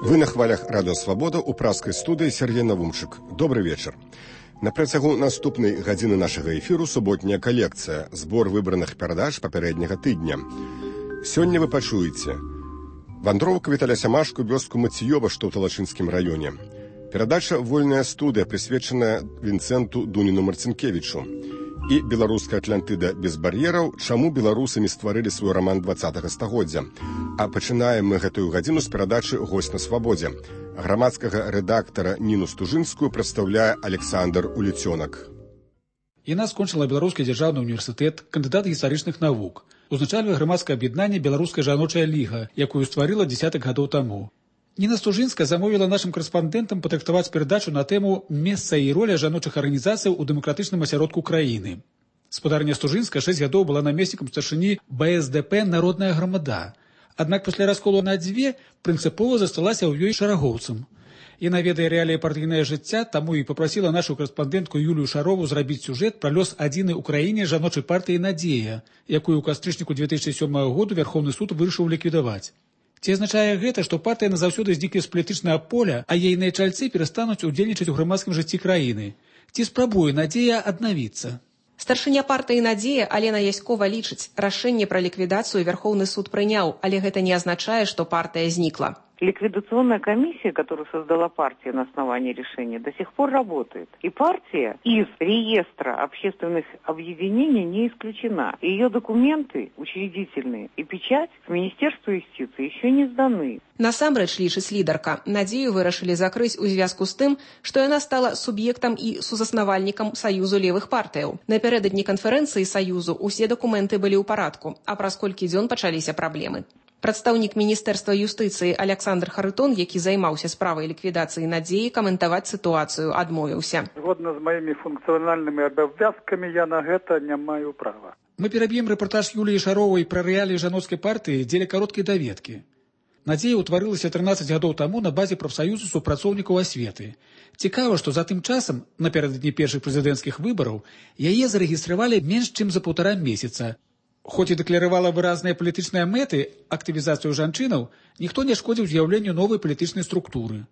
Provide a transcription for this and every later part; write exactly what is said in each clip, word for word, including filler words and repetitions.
Вы на хвалях Радио Свобода у праскай студыі Сергей Навумчык. Добрый вечар. На працягу наступнай гадзіны нашага эфіру суботняя калекцыя, збор выбраных перадач папярэдняга тыдня. Сёння вы пачуеце вандроўка Віталя Сямашку вёску Мацыёва, што ў Талачынскім раёне. Перадача «Вольная студыя», прысвечаная Вінцэнту Дуніну Марцінкевічу. І беларуская Атлантыда без бар'ераў, чаму беларусы не стварылі свой раман дваццатага стагоддзя. А пачынаем мы гэтую гадзіну з перадачы «Госць на свабодзе». Грамадскага рэдактара Ніну Стужынскую прадстаўляе Александр Уліцёнак. Яна скончыла Беларускі дзяржаўны універсітэт, кандыдат гістарычных навук. Узначальвае грамадскае аб'яднанне «Беларуская жаночая ліга», якую стварыла дзесятак гадоў таму. Ніна Стужынская замовіла нашым корэспандэнтам патрактаваць перадачу на тэму «Месца і роля жаночых арганізацый у дэмакратычным асяродку краіны». Спадарня Стужынская шэсць гадоў была намеснікам старшыні бэ эс дэ пэ «Народная грамада». Аднак пасля расколу на дзве прынцыпова засталася ў ёй шарагоўцам. Яна ведае рэаліі партыйнае жыцця, таму і папрасіла нашу корэспандэнтку Юлію Шарову зрабіць сюжэт пра лёс адзінай у краіне жаночай партыі «Надзея», якую ў кастрычніку две тысячы сёмага году Верховны суд вырашыў ліквідаваць. Ці азначае гэта, што партыя назаўсёды знікне з палітычнага поля, а ейныя чальцы перастануць удзельнічаць у грамадскім жыцці краіны? Ці спрабуе «Надзея» аднавіцца? Старшыня партыі «Надзея» Алена Яськова лічыць, рашэнне пра ліквідацыю Верховны суд прыняў, але гэта не азначае, што партыя знікла. Ликвидационная комиссия, которую создала партия на основании решения, до сих пор работает. И партия из реестра общественных объединений не исключена. Ее документы учредительные и печать в Министерство юстиции еще не сданы. Насамрэч, лічыць лідарка, «Надзею» вырашылі закрыць у звязку з тым, што яна стала суб'ектам і сузаснавальнікам Саюзу левых партыяў. Напярэдадні канферэнцыі Саюзу усе дакументы былі ў парадку, а праз колькі дзён пачаліся праблемы. Прадстаўнік Міністэрства юстыцыі Александр Харытон, які займаўся справай ліквідацыі «Надзеі», каментаваць сітуацыю адмовіўся. Згодна з маімі функцыянальнымі абавязкамі я на гэта не маю права. Мы пераб'ем рэпартаж Юліі Шаровай пра рэаліі жаноцкай партыі дзеля кароткай даведкі. «Надзея» ўтварылася трынаццаць гадоў таму на базе прафсаюзу супрацоўнікаў асветы. Цікава, што за тым часам, напярэдадні першых прэзідэнцкіх выбараў, яе зарэгістравалі менш чым за паўтара месяца. Хоць і дэкларавала выразныя палітычныя мэты, актывізацыю жанчынаў, ніхто не шкодзіў з'яўленню новай палітычнай структуры.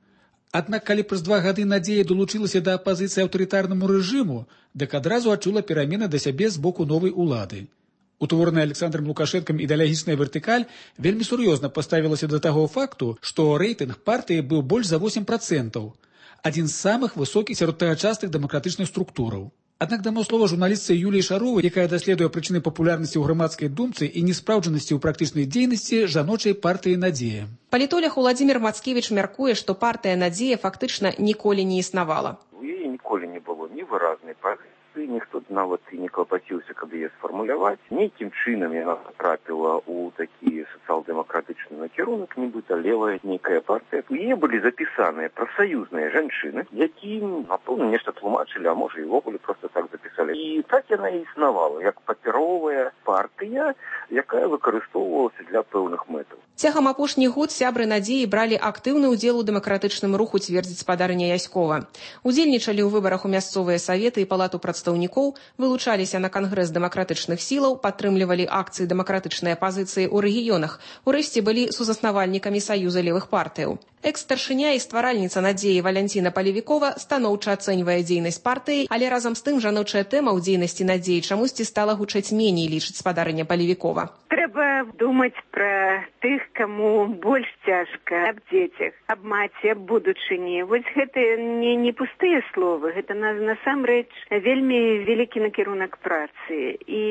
Аднак, калі праз два гады «Надзея» далучылася да апазіцыі аўтарытарнаму рэжыму, дык адразу адчула перамены да сябе з боку новай улады. Утвораная Александром Лукашэнкам ідэалагічная вертыкаль вельмі сур'ёзна паставілася да таго факту, што рэйтынг партыі быў больш за восем працэнтаў, адзін з самых высокіх сярод тагачасных дэмакратычных структураў. Аднак дамо слова журналістцы Юліі Шаровай, якая даследуе прычыны папулярнасці ў грамадскай думцы і неспраўджанасці ў практычнай дзейнасці жаночай партыі «Надзея». Палітолог Уладзімір Мацкевіч мяркуе, што партыя «Надзея» фактычна ніколі не існавала. У яе ніколі не было ні выразнай пазіцыі, ніхто нават і не клапаціўся, каб яе сфармуляваць. Нейкім чынам яна трапіла ў такі сацыял-дэмакратычны накірунак, нібыта левая нейкая партыя. У яе былі запісаныя прафсаюзныя жанчыны, якім, напэўна, нешта тлумачылі, а можа і ўвогуле проста так запісалі. І так яна і існавала, як папяровая партыя, якая выкарыстоўвалася для пэўных мэтаў. Цягам апошніх год сябры «Надзеі» бралі актыўны ўдзел у дэмакратычным руху, цвердзіць спадарня Яськова. Удзельнічалі ў выбарах у мясцовыя саветы і палату прадстаўнікоў, вылучаліся на кангрэс дэмакратычных сілаў, падтрымлівалі акцыі дэмакратычнай апазіцыі ў рэгіёнах, урэшце былі сузаснавальнікамі Саюза левых партыяў. Экс-старшыня і стваральніца «Надзеі» Валянціна Палевікова станоўча ацэньвае дзейнасць партыі, але разам з тым жаночая тэма ў дзейнасці «Надзеі» чамусьці стала гучаць меней, лічыць спадарня Палевікова. Трэба думаць пра тых, каму больш цяжка, аб дзецях, аб маці, аб будучыні. Вось гэта не, не пустыя словы, гэта на, насамрэч вельмі вялікі накірунак працы. І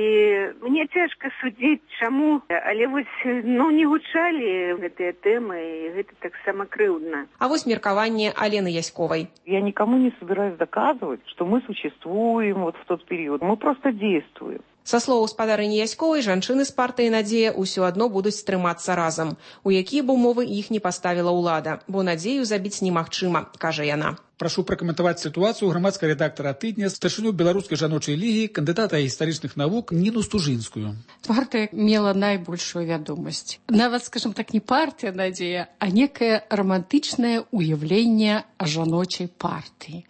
мне цяжка судзіць, чаму, але вось ну, не гучалі гэтыя тэмы, і гэта таксама крыўдна. А вось меркаванне Алены Яськовай. Я никому не собираюсь доказывать, что мы существуем вот в тот период. Мы просто действуем. Са слоў спадарыні Яськовай, жанчыны з партыі «Надзея» ўсё адно будуць трымацца разам. У якія б умовы іх не паставіла ўлада, бо «Надзею» забіць немагчыма, кажа яна. Прашу пракаментаваць сітуацыю грамадскага рэдактара тыдня, старшыню беларускай жаночай лігі, кандыдата гістарычных навук Ніну Стужынскую. Партыя мела найбольшую вядомасць. Нават, скажем так, не партыя «Надзея», а некае романтычнае уяўленне жаночай партыі.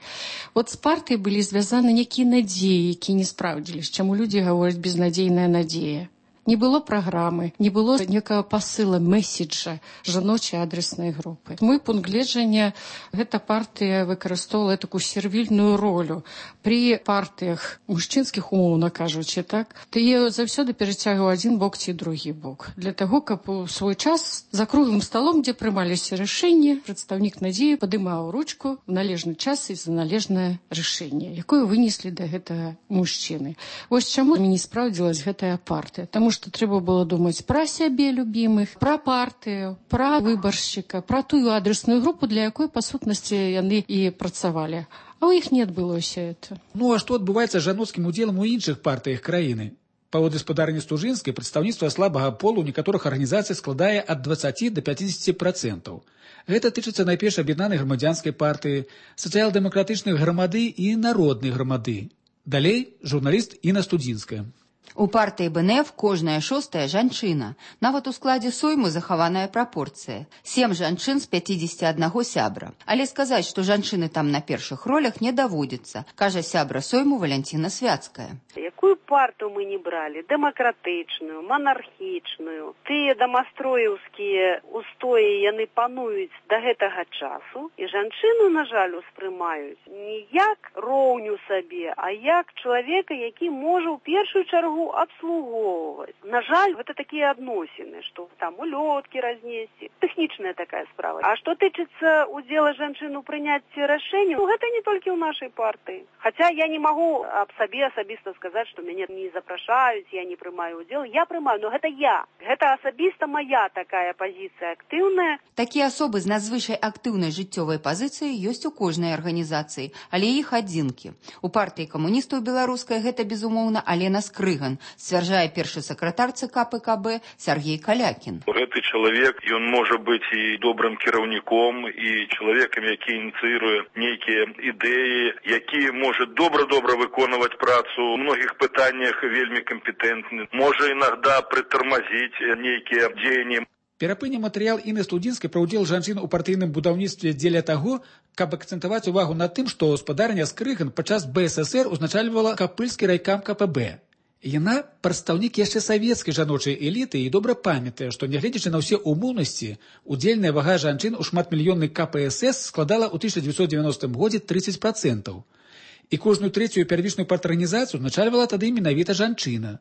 Вот з партыяй былі звязаны некія надзеі, якія не спраўдзіліся, чаму людзі гавораць безнадзейная надзея. Не было праграмы, не было некага пасыла, месседжа жаночай адреснай групы. Мой пункт гледжання, гэта партыя выкарыстоўвала такую сервільную ролю. Пры партыях мужчынскіх, умоўна кажучы, так, ты заўсёды перацягваў адзін бок ці другі бок. Для таго, каб у свой час за круглым сталом, дзе прымаліся рашэнні, прадстаўнік Надзеі падымаў ручку в належны час і за належнае рашэнне, якое вынеслі да гэтага мужчыны. Вось чаму не спраўдзілась гэтая партыя. Таму што трэба было думаць пра сябе любімых, пра партыю, пра выбаршчыка, пра тую адресную групу, для якой, па сутнасці, яны і працавалі. А ў іх не адбылося это. Ну а што адбываецца з жаноцкім удзелам у іншых партыях краіны? Паводле спадарні Стужынскай, прадстаўніцтва слабага полу ў некаторых арганізацый складае ад дваццаці да пяцідзесяці працэнтаў. Гэта тычыцца найперш аб'яднанай грамадзянскай партыі, сацыял-дэмакратычных грамады і народнай грамады. Далей журналіст Інна Студзінская. У партыі бэ эн эф кожная шостая жанчына. Нават у складзе сойму захаваная прапорцыя. Сем жанчын з пяцідзесяці аднаго сябра. Але сказаць, што жанчыны там на першых ролях не даводзіцца, кажа сябра сойму Валянціна Свяцкая. Якую парту мы не бралі? Дэмакратычную, манархічную. Тыя дамастроеўскія устоі яны пануюць да гэтага часу. І жанчыну, на жаль, успрымаюць не як роўню сабе, а як чалавека, які можа ў першую чаргу обслуговывать. На жаль, это такие адносіны, что там улетки разнесці. Тэхнічная такая справа. А что тычыцца удзела жанчын у прыняцці рашэнняў, ну, гэта не толькі ў нашай партыі. Хотя я не могу аб сабе асабіста сказаць, што мяне не запрашаюць, я не прымаю удзел. Я прымаю, но гэта я. Гэта асабіста моя такая пазіцыя актыўная. Такія асобы з надзвычай актыўнай жыццёвай пазіцыяй ёсць у кожнай арганізацыі, але іх адзінкі. У партыі камуністаў беларускай гэта, безумоўна, Алена Скрыган, сцвярджае першы сакратар ЦК пэ ка бэ Сяргей Калякін. Гэты чалавек, ён можа быць і добрым кіраўніком, і чалавекам, які ініцыюе нейкія ідэі, які можа добра-добра выконваць працу у многіх пытаннях, вельмі кампетэнтны, можа інагда прытармазіць нейкія дзеянні. Перапыне матэрыял Інны Студзінскай пра ўдзел жанчын у партыйным будаўніцтве дзеля таго, каб акцэнтаваць увагу на тым, што спадарня Скрыган падчас бэ эс эс эр узначальвала капыльскі райкам ка пэ бэ. Яна прадстаўнік яшчэ савецкай жаночай эліты і добра памятае, што, нягледзячы на ўсе умоўнасці, удзельная вага жанчын у шматмільённай ка пэ эс эс складала ў тысяча дзевяцьсот дзевяностым годзе трыццаць працэнтаў. І кожную трэцюю первічную парторганізацыю узначальвала тады менавіта жанчына.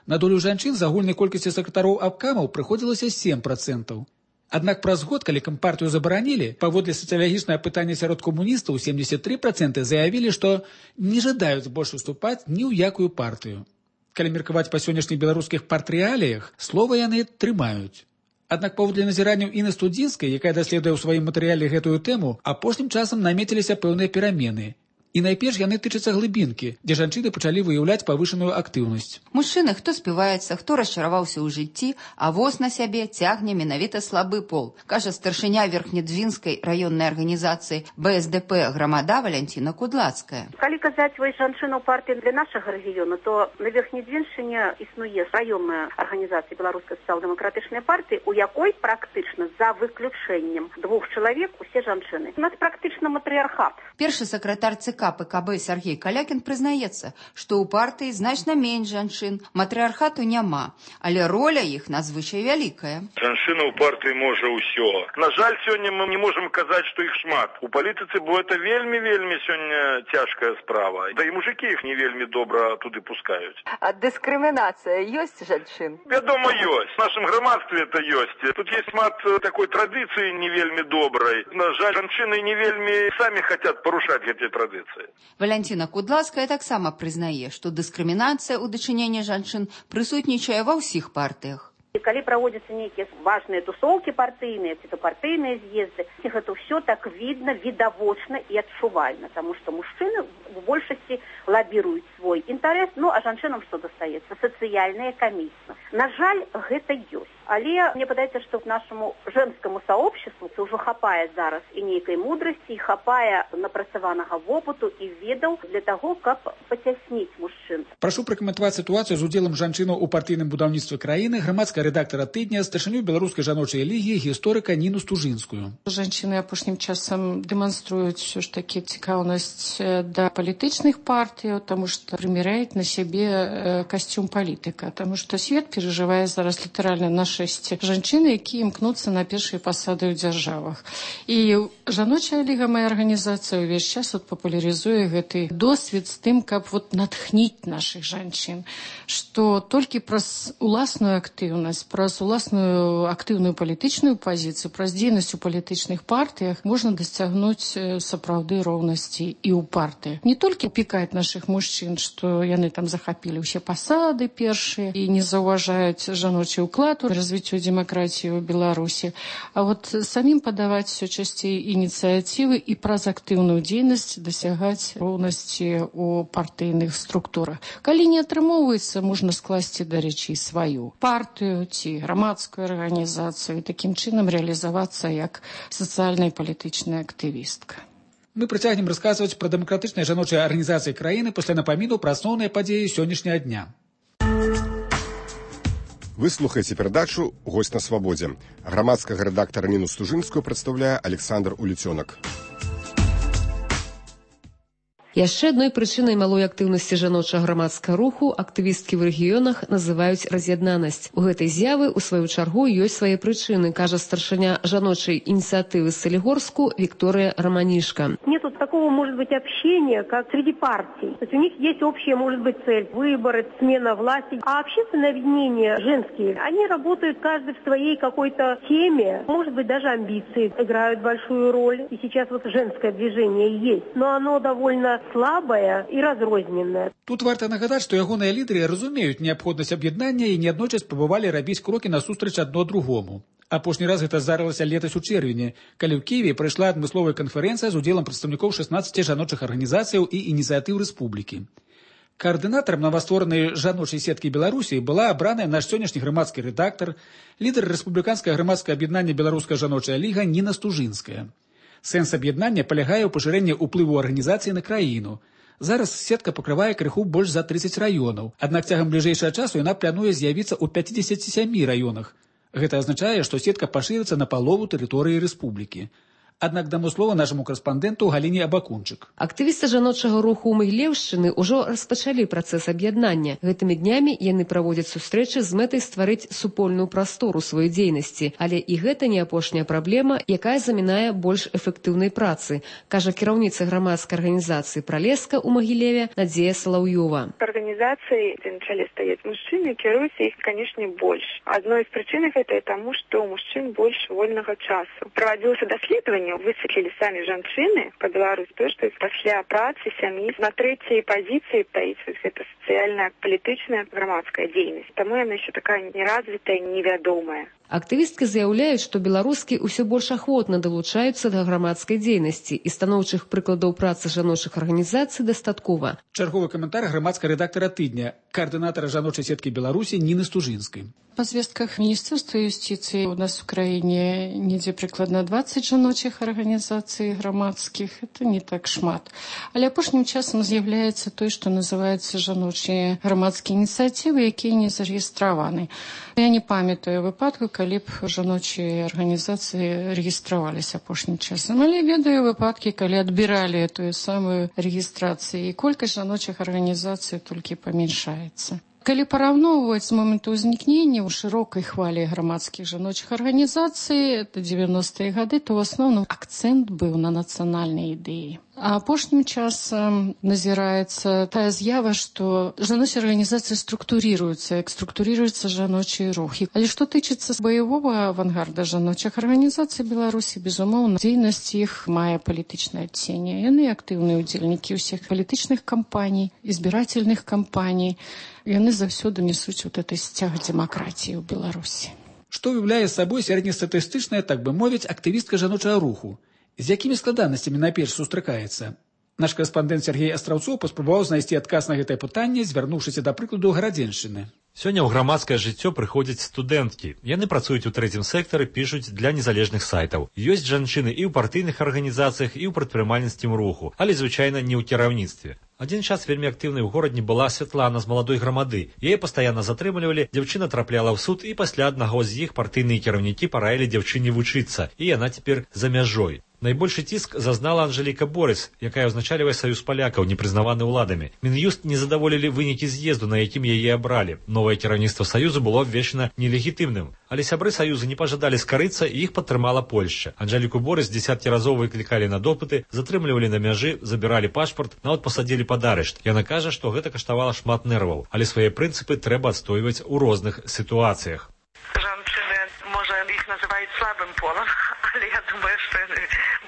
На долю жанчын з агульнай колькасці сакратароў абкамаў прыходзілася сем працэнтаў. Аднак праз год, калі кампартыю забаранілі, паводле сацыялагічнае пытанне сярод камуністаў семдзесят тры працэнты заявілі, што не жадаюць больш уступаць ні ў якую партыю. Калі меркаваць па сённяшніх беларускіх партрэаліях, слова яны трымаюць. Аднак паводле назіранняў Інны Студзінскай, якая даследуе ў сваім матэрыяле гэтую тэму, апошнім часам намеціліся пэўныя перамены. І найперш яны тычацца глыбінкі, дзе жанчыны пачалі выяўляць павышаную актыўнасць. Мужчыны, хто співаецца, хто расчараваўся ў жыцці, а воз на сябе цягне менавіта слабы пол, кажа старшыня Верхнедзвінскай раённай арганізацыі бэ эс дэ пэ грамада Валянціна Кудлацкая. Калі казаць вось жанчыну партыі для нашага рэгіёну, то на Верхнедзвіншчыне існуе раённая арганізацыя беларускай сацыял-дэмакратычнай партыі, у якой практычна за выключэннем двух чалавек усе жанчыны. У нас практычна матрыархат. Першы сакратар ЦК пэ ка бэ Сяргей Калякін прызнаецца, што ў партыі значна менш жанчын, матрыархату няма, але роля іх надзвычай вялікая. Жанчына ў партыі можа ўсё. На жаль, сёння мы не можам казаць, што іх шмат. У палітыцы, бо это вельмі-вельмі сёння цяжкая справа. Да і мужыкі іх не вельмі добра туды пускаюць. А дыскрымінацыя ёсць жанчын? Вядома, ёсць. В нашым грамадстве это ёсць. Тут есть шмат такой традыцыі не вельмі добрай. На жаль, жанчыны не вельмі самі хацяць парушаць гэтыя традыцыі. Валянціна Кудлацкая таксама прызнае, што дыскрымінацыя ў дачыненні жанчын прысутнічае ва ўсіх партыях. І калі праводзяцца нейкія важныя тусоўкі партыйныя, ці то партыйныя з'езды, гэта ўсё так видно, відавочна і адчувальна, таму што мужчыны в большасці лабіруюць свой інтарэс, ну а жанчынам што дастаецца? Сацыяльныя камісіі. На жаль, гэта ёсць. Але мне падаецца, што нашаму женскаму сообществу ўжо хапае зараз і нейкай мудрасці, і хапае напрацаванага вопыту і ведаў для таго, каб пацясніць мужчын. Прашу пракаментаваць сітуацыю з удзелам жанчынаў у партыйным будаўніцтве краіны грамадская рэдактара тыдня, старшыню беларускай жаночай лігі, гісторыка Ніну Стужынскую. Жанчыны апошнім часам дэманструюць ўсё ж такі цікаўнасць да палітычных партый, таму што прыміряюць на сябе касцюм палітыка, таму што свет перажывае зараз літаральна нашэсце жанчыны, якія імкнуцца на першыя пасады ў дзяржавах. І жаночая ліга, мая арганізацыя, увесь час вот папулярызуе гэты досвед з тым, каб вот натхніць нашых жанчын, што толькі праз уласную актыўнасць, праз уласную актыўную палітычную пазіцыю, праз дзейнасць у палітычных партыях можна дасцягнуць сапраўды роўнасці і ў партыях. Не толькі пікаць нашых мужчын, што яны там захапілі ўсе пасады першыя і не заўважаюць жаночы ўклад у развіццё дэмакратыі ў Беларусі, а вот самім падаваць все часцей ініцыятывы і праз актыўную дзейнасць дасягаць роўнасці ў партыйных структурах. Калі не атрымоўваецца, можна скласці, дарэчы, сваю партыю ці грамадскую арганізацыю і такім чынам рэалізавацца як сацыяльная і палітычная актывістка. Мы працягнем расказваць пра дэмакратычныя жаночыя арганізацыі краіны пасля напаміну пра асноўныя падзеі сённяшняга дня. Вы слухаеце перадачу «Госць на свабодзе». Грамадскага рэдактара Ніну Стужынскую прадстаўляе Александр Уліцёнак. Яшчэ адной прычынай малой актыўнасці жаночага грамадскага руху актывісткі ў рэгіёнах называюць раз'яднанасць. У гэтай з'явы, у сваю чаргу, ёсць свае прычыны, кажа старшыня жаночай ініцыятывы Солигорску Виктория Романишко. Нету такого, может быть, общения, как среди партий. То есть у них есть общая, может быть, цель – выборы, смена власти. А общественные объединения женские, они работают каждый в своей какой-то теме. Может быть, даже амбиции играют большую роль. И сейчас вот женское движение есть. Но оно довольно слабая і разрозненная. Тут варта нагадаць, што ягоныя лідары разумеюць неабходнасць аб'яднання і неаднойчас спрабавалі рабіць крокі насустрач адно другому. Апошні раз гэта здарылася летась у чэрвені, калі ў Кіеве прайшла адмысловая канферэнцыя з удзелам прадстаўнікоў шаснаццаці жаночых арганізацыяў і ініцыятыў рэспублікі. Каардынатарам новастворанай жаночай сеткі Беларусі была абраная наш сённяшні грамадскі рэдактар, лідар рэспубліканскага грамадскага аб'яднання Беларуская жаночая ліга Ніна Стужынская. Сэнс аб'яднання палягае ў пашырэнні ўплыву арганізацыі на краіну. Зараз сетка пакрывае крыху больш за трыццаць раёнаў, аднак цягам бліжэйшага часу яна плануе з'явіцца ў пяцідзесяці сямі раёнах. Гэта азначае, што сетка пашырыцца на палову тэрыторыі рэспублікі. Аднак даму слова нашаму карэспандэнту Галіне Абакунчык. Актывісты жаночага руху ў Магілеўшчыны ўжо распачалі працэс аб'яднання. Гэтымі днямі яны праводзяць сустрэчы з мэтай стварыць супольную прастору сваёй дзейнасці. Але і гэта не апошняя праблема, якая замінае больш эфектыўнай працы, кажа кіраўніца грамадскай арганізацыі «Пралеска» ў Магілеве Надзея Салаўёва. Арганізацыі, дзе на чале стаяць мужчыны, кіруюцца іх, канешне, больш. Адной з прычын гэта і таму, што ў мужчын больш вольнага часу. Правадзілася даследаванне, высветлілі самі жанчыны па Беларусі, то, што пасля працы сям'і на трэцяй пазіцыі стаіць гэта сацыяльная, палітычная, грамадская дзейнасць. Таму яна яшчэ такая неразвітая, невядомая. Актывісткі заяўляюць, што беларускі ўсё больш ахвотна далучаюцца да грамадскай дзейнасці і станоўчых прыкладаў працы жаночых арганізацый дастаткова. Чарговы каментар грамадскага рэдактара тыдня, каардынатара жаночай сеткі Беларусі Ніны Стужынскай. Па звестках Міністэрства юстыцыі у нас у краіне недзе прыкладна дваццаць жаночых арганізацый грамадскіх. Это не так шмат. Але апошнім часам з'яўляецца той, што называецца жаночыя грамадскія ініцыятывы, якія не зарэгістраваны. Я не памятаю выпадку, калі б жаночыя арганізацыі рэгістраваліся апошнім часам. Але ведаю выпадкі, калі адбіралі тую самую рэгістрацыю, і колькасць жаночых арганізацый толькі памяншаецца. Калі параўноўваць з моманту ўзнікнення ў шырокай хвалі грамадскіх жаночых арганізацый, это дзевяностыя гады, то ў асноўным акцэнт быў на нацыянальнай ідэі. А апошнім часам назіраецца тая з'ява, што жаночыя арганізацыі структурыруюцца, як структурыруецца жаночыя рухі. Але што тычыцца баявога авангарда жаночых арганізацый Беларусі, безумоўна, дзейнасць іх мае палітычнае адценне. Яны актыўныя ўдзельнікі ўсіх палітычных кампаній, збірательных кампаній. Яны заўсёды несуць вот этой сцяг дэмакратіі ў Беларусі. Што уяўляе сабой сярэднестатыстычная, так бы мовіць, актывістка жаночага руху? З якімі складанасцямі найперш сустракаецца? Наш корэспандэнт Сергей Астраўцоў паспрабаваў знайсці адказ на гэтае пытанне, звярнуўшыся да прыкладу Гарадзеншчыны. Сёння ў грамадскае жыццё прыходзяць студэнткі. Яны працуюць у трэцім сектары, пішуць для незалежных сайтаў. Ёсць жанчыны і ў партыйных арганізацыях, і ў прадпрымальніцкім руху, але звычайна не ў кіраўніцтве. Адзін час вельмі актыўнай у горадні была Святлана з маладой грамады. Яе пастаянна затрымлівалі, дзяўчына трапляла ў суд, і пасля аднаго з іх партыйныя кіраўнікі параілі дзяўчыне вучыцца, і яна цяпер за мяжой. Найбольшы ціск зазнала Анжэліка Борыс, якая ўзначальвае саюз палякаў, не прызнаваны ўладамі. Мін'юст не задаволілі вынікі з'езду, на якім яе абралі. Новае кіраўніцтва саюзу было абвешчана нелегітымным. Але сябры саюза не пажадалі скарыцца, і іх падтрымала Польшча. Анжэліку Борыс дзесяткі разоў выклікалі на допыты, затрымлівалі на мяжы, забіралі пашпарт, нават пасадзілі пад арышт. Яна кажа, што гэта каштавала шмат нерваў, але свае прынцыпы трэба адстойваць у розных сітуацыях. Жанчыны, можа, іх называюць слабым полам, але я думаю, што яны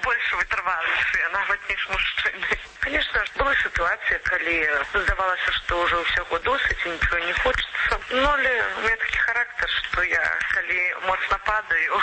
больш вытрывалішыя, нават ніж мужчыны. Конечно, была ситуация, калі здавалася, што ўжо ўсяго досыць і нічого не хочется. Ну, але у меня такі характар, што я, калі моцна падаю,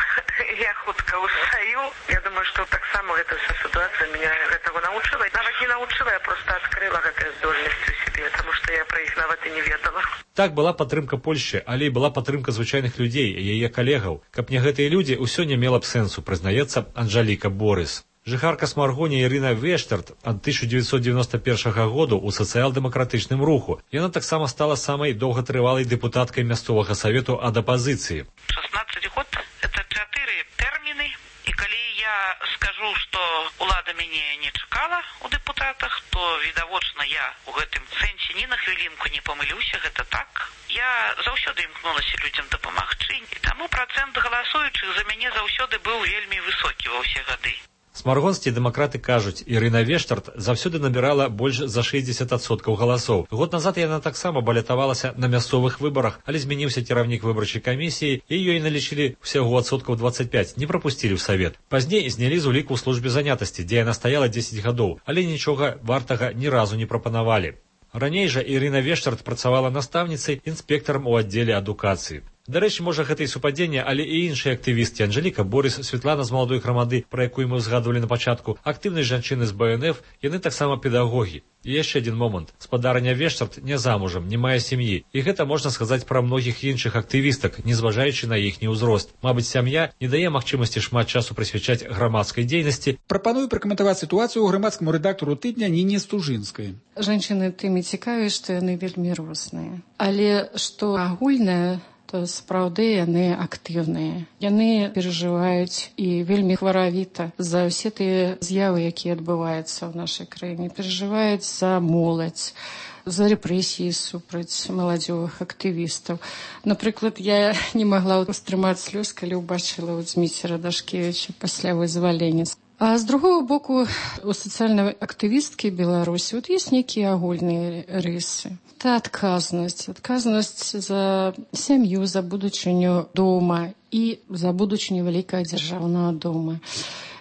я хутка устаю. Я думаю, што таксама гэта вся ситуация меня гэтага научыла. Нават не научыла, я просто адкрыла гэтыя здольнасці ў сябе, таму што я пра іх нават і не ведала. Так, была падтрымка Польшчы, але і была падтрымка звычайных людзей, яе калегаў. Каб не гэтыя людзі, усё не мела б сэнсу, прызнаецца Анжэліка Борыс. Жыхарка Смаргоні Ірына Вештарт ад тысяча дзевяцьсот девяносто первого году ў сацыял-дэмакратычным руху. Яна таксама стала самай доўгатрывалай дэпутаткай мясцовага савету ад апазіцыі. шестнадцать год – это чатыры тэрміны, і калі я скажу, што ўлада мяне не чакала ў дэпутатах, то відавочна я ў гэтым сэнсе ні на хвілінку не памылюся, гэта так. Я заўсёды імкнулася людзям дапамагчы, і таму працэнт галасуючых за мяне заўсёды быў вельмі высокі ва ўсе гады. Смаргонскія дэмакраты кажуць, Ірына Вештарт заўсёды набірала больш за шэсцьдзесят адсоткаў галасоў. Год назад яна таксама балятавалася на мясцовых выбарах, але змяніўся кіраўнік выбарчай камісіі, і ёй налічылі ўсяго адсоткаў двадцать пять, не прапусцілі ў савет. Пазней знялі з уліку ў службе занятасці, дзе яна стаяла дзесяць гадоў, але нічога вартага ні разу не прапанавалі. Раней жа Ірына Вештарт працавала настаўніцай, інспектарам у аддзеле адукацыі. Дарэчы, можа, гэта і супадзенне, але і іншыя актывісткі Анжэліка Борыс, Святлана з маладой грамады, пра якую мы ўзгадвалі на пачатку, актыўныя жанчыны з Бэ Эн Эф, яны таксама педагогі. І яшчэ адзін момант. Спадарыня Вештарт не замужам, не мае сям'і. І гэта можна сказаць пра многіх іншых актывістак, не зважаючы на іхні ўзрост. Мабыць, сям'я не дае магчымасці шмат часу прысвячаць грамадскай дзейнасці. Прапаную пракаментаваць сітуацыю грамадскаму рэдактару тыдня Ніне Стужынскай. Жанчыны тымі цікавыя, што яны вельмі розныя. Але што агульнае, то сапраўды яны актыўныя. Яны перажываюць і вельмі хваравіта за ўсе тыя з'явы, якія адбываюцца ў нашай краіне. Перажываюць за моладзь, за рэпрэсіі супраць маладзёвых актывістаў. Напрыклад, я не магла ўстрымаць слёз, калі ўбачыла ў Дзміцера Дашкевіча пасля вызвалення. А з другого боку, у сацыяльнай актывісткі Беларусі вот ёсць нейкія агульныя рысы. Это адказнасць, адказнасць за сям'ю, за будучыню дома і за будучыню вялікага дзяржаўнага дома.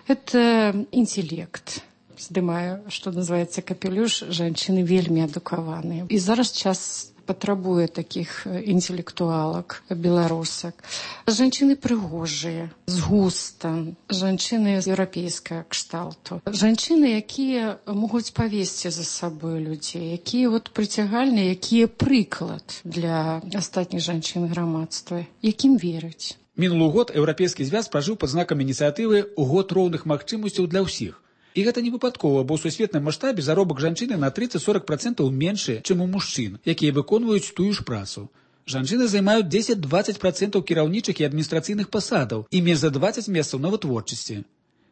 Это інтэлект. Здымаю, што называецца капелюш, жанчыны вельмі адукаваныя. І зараз час патрабуе такіх інтэлектуалак, беларусак. Жанчыны прыгожыя, з густам, жанчыны з еўрапейскага кшталту. Жанчыны, якія могуць павесці за сабой людзей, якія вот прыцягальныя, якія прыклад для астатніх жанчын грамадства, якім вераць. Мінулы год еўрапейскі звяз пражыў пад знакам ініцыятывы ў год роўных магчымасцяў для ўсіх. І гэта не выпадкова, бо ў сусветным маштабе заробак жанчыны на тридцать-сорок процентаў меншы, чым у мужчын, якія выконваюць тую ж працу. Жанчыны займаюць дзесяць-дваццаць процентаў кіраўнічых і адміністрацыйных пасадаў і менш за двадцать месцаў на вытворчасці.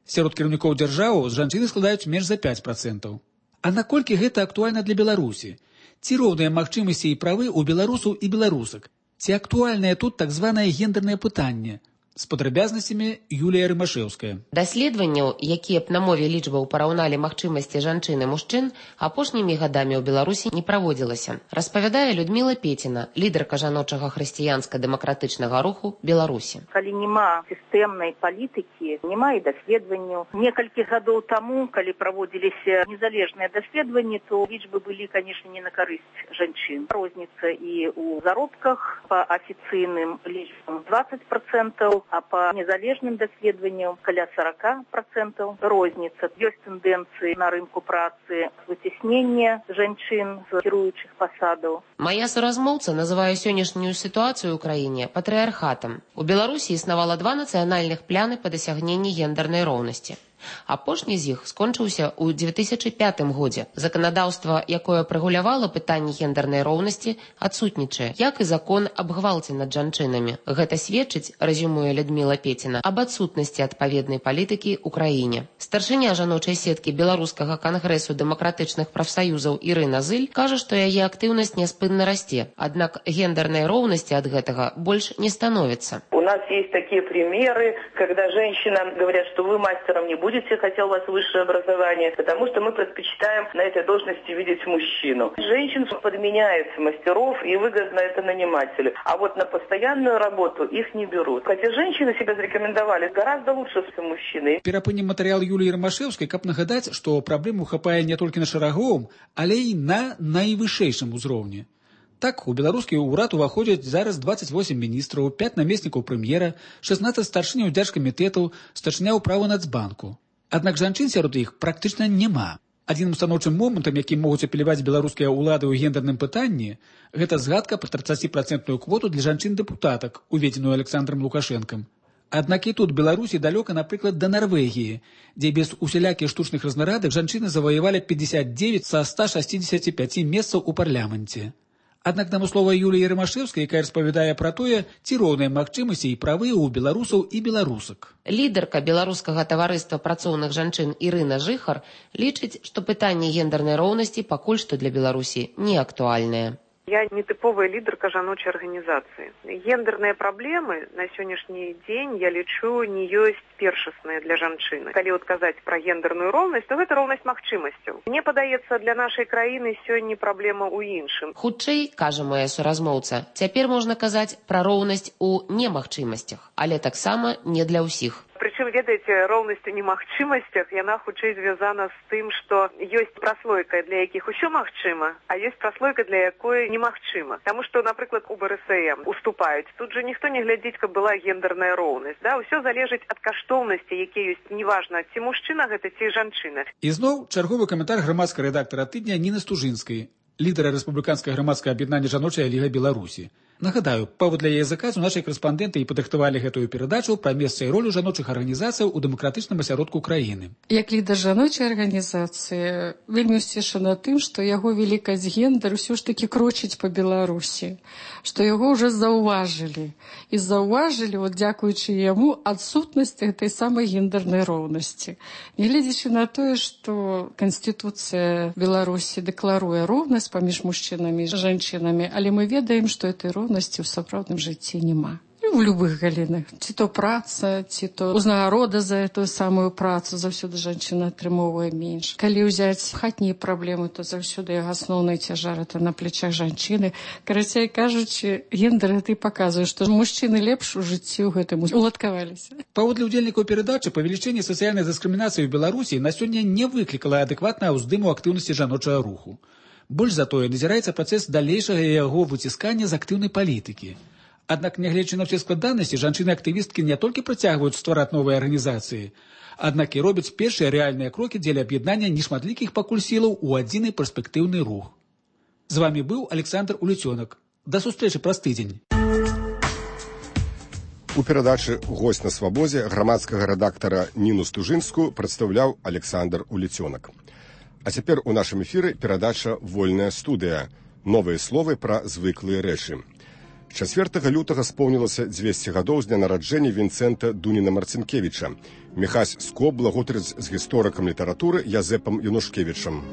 Сярод кіраўнікоў дзяржаваў жанчыны складаюць менш за пять процентаў. А наколькі гэта актуальна для Беларусі? Ці роўныя магчымасці і правы ў беларусаў і беларусак? Ці актуальнае тут так званае гендернае пытанне? З падрабязнасцямі Юлія Рымашэўская. Даследаванняў, якія б на мове лічбаў параўналі магчымасці жанчын і мужчын, апошнімі гадамі ў Беларусі не праводзілася. Распавядае Людміла Пеціна, лідарка жаночага хрысціянска-дэмакратычнага руху Беларусі. Калі няма сістэмнай палітыкі, няма і даследаванняў. Некалькі гадоў таму, калі праводзіліся незалежныя даследаванні, то лічбы былі, канешне, не на карысць жанчын. Розніца і ў заробках па афіцыйным лічбам двадцать процентаў, а по незалежным даследаванням каля сорок процентов розница. Есть тенденции на рынку працы вытеснения женщин с кіруючых посадов. Моя суразмоўца называе сённяшнюю сітуацыю ў краіне патрыархатам. У Беларусі існавала два нацыянальных пляны па дасягненні гендернай роўнасці. Апошні з іх скончыўся ў две тысячы пятым годзе. Заканадаўства, якое прэгулявала пытанні гендернай роўнасці, адсутнічае, як і закон аб гвалце над жанчынамі. Гэта сведчыць, рэзюмуе Людміла Пеціна, аб адсутнасці адпаведнай палітыкі ў краіне. Старшыня жаночай сеткі Беларускага кангрэсу дэмакратычных прафсаюзаў Ірына Зыль кажа, што яе актыўнасць няспынна расце, аднак гендернай роўнасці ад гэтага больш не становіцца. У нас есть такие примеры, когда женщинам говорят, что вы мастером не будете, хотя у вас высшее образование, потому что мы предпочитаем на этой должности видеть мужчину. Женщин подменяют мастеров, и выгодно это нанимателю. А вот на постоянную работу их не берут. Хотя женщины себя зарекомендовали гораздо лучше, чем мужчины. Перапынем матэрыял Юліі Рамашэўскай, каб нагадаць, што праблему хапае не толькі на шараговым, але і на найвышэйшым узроўні. Так, у беларускі ўрад уваходзяць зараз двадцать восемь міністраў, пять намеснікаў прэм'ера, шестнадцать старшыняў дзяржкамітэтаў, старшыня ўправы Нацбанку. Аднак жанчын сярод іх практычна няма. Адзіным станоўчым момантам, якім могуць апеляваць беларускія ўлады ў гендерным пытанні, гэта згадка пра тридцатипроцентную квоту для жанчын-дэпутатак, уведзеную Александром Лукашэнкам. Аднак і тут Беларусі далёка, напрыклад, да Нарвегіі, дзе без усялякіх штучных разнарадак жанчыны заваявалі пятьдесят девять са ста шестидесяти пяти месцаў у парламенце. Аднак намыслова Юліі Рамашэўскай, якая распавядае пра тое, ці роўныя магчымасці і правы ў беларусаў і беларусак. Лідарка беларускага таварыства працоўных жанчын Ірына Жыхар лічыць, што пытанне гендернай роўнасці пакуль што для Беларусі не актуальнае. Я не типовая лидерка жаночай организации. Гендерные проблемы на сегодняшний день, я лічу, не есть першасныя для жанчыны. Калі вот казаць про гендерную роўнасць, то гэта роўнасць магчымасцяў. Мне падаецца, для нашай краіны сёння праблема ў іншым. Хутчэй, кажа моя суразмоўца, цяпер можна казаць пра роўнасць у немагчымасцях, але таксама не для ўсіх. Причем, ведаеце, роўнасць у немагчымасцях, яна хутчэй звязана з тым, што ёсць праслойка, для якіх усё магчыма, а ёсць праслойка, для якой немагчыма. Таму што, напрыклад, у БРСМ уступаюць. Тут же ніхто не глядзіць, каб была гендерная роўнасць. Да? Усё залежыць ад каштоўнасці, якія ёсць, неважна, ці мужчына гэта, ці жанчына. І зноў чарговы каментар грамадскага рэдактара тыдня Ніны Стужынскай, лідара рэспубліканскага грамадскага аб'яднання «Жаночая ліга Беларусі». Нагадаю, паводле яе заказу нашыя корэспандэнты і падрыхтавалі гэтую перадачу пра месца і ролю жаночых арганізацыяў у дэмакратычным асяродку краіны. Як лідар жаночай арганізацыі вельмі ўсцешана тым, што яго вялікасць гендер ўсё ж такі крочыць па Беларусі, што яго ўжо заўважылі. І заўважылі, вот, дзякуючы яму, адсутнасць гэтай самай гендернай роўнасці. Нягледзячы на тое, што Канстытуцыя Беларусі дэкларуе роўнасць паміж мужчынамі і жанчынамі, але мы ведаем, што этой роўнасці ў сапраўдным жыцці няма. І ў любых галінах. Ці то праца, ці то узнагарода за эту самую працу, заўсёды жанчына атрымоўвае менш. Калі ўзяць хатнія праблемы, то заўсёды яго асноўны цяжар это на плечах жанчыны. Карацей кажучы, гендер гэта і паказвае, што мужчыны лепш у жыцці ў гэтым уладкаваліся. Паводле ўдзельнікаў перадачы, павелічэнне сацыяльнай дыскрымінацыі ў Беларусі на сёння не выклікала адэкватнага ўздыму актыўнасці жаночага руху. Больш за тое, назіраецца працэс далейшага яго выціскання з актыўнай палітыкі. Аднак, нягледзячы на ўсе складанасці, жанчыны-актывісткі не толькі працягваюць ствараць новыя арганізацыі, аднак і робяць першыя рэальныя крокі дзеля аб'яднання нешматлікіх пакуль сілаў у адзіны перспектыўны рух. З вамі быў Александр Уліцёнак. Да сустрэчы праз тыдзень. У перадачы «Госць на свабозе» грамадскага рэдактара Ніну Стужынскую прадстаўляў Александр Уліцёнак. А цяпер у нашым эфіры перадача «Вольная студыя». Новыя словы пра звыклыя рэчы. чацвёртага лютага споўнілася дзвесце гадоў з дня нараджэння Вінцэнта Дуніна Марцінкевіча. Міхась Скоб благотарыць з гісторыкам літаратуры Язэпам Янушкевічам.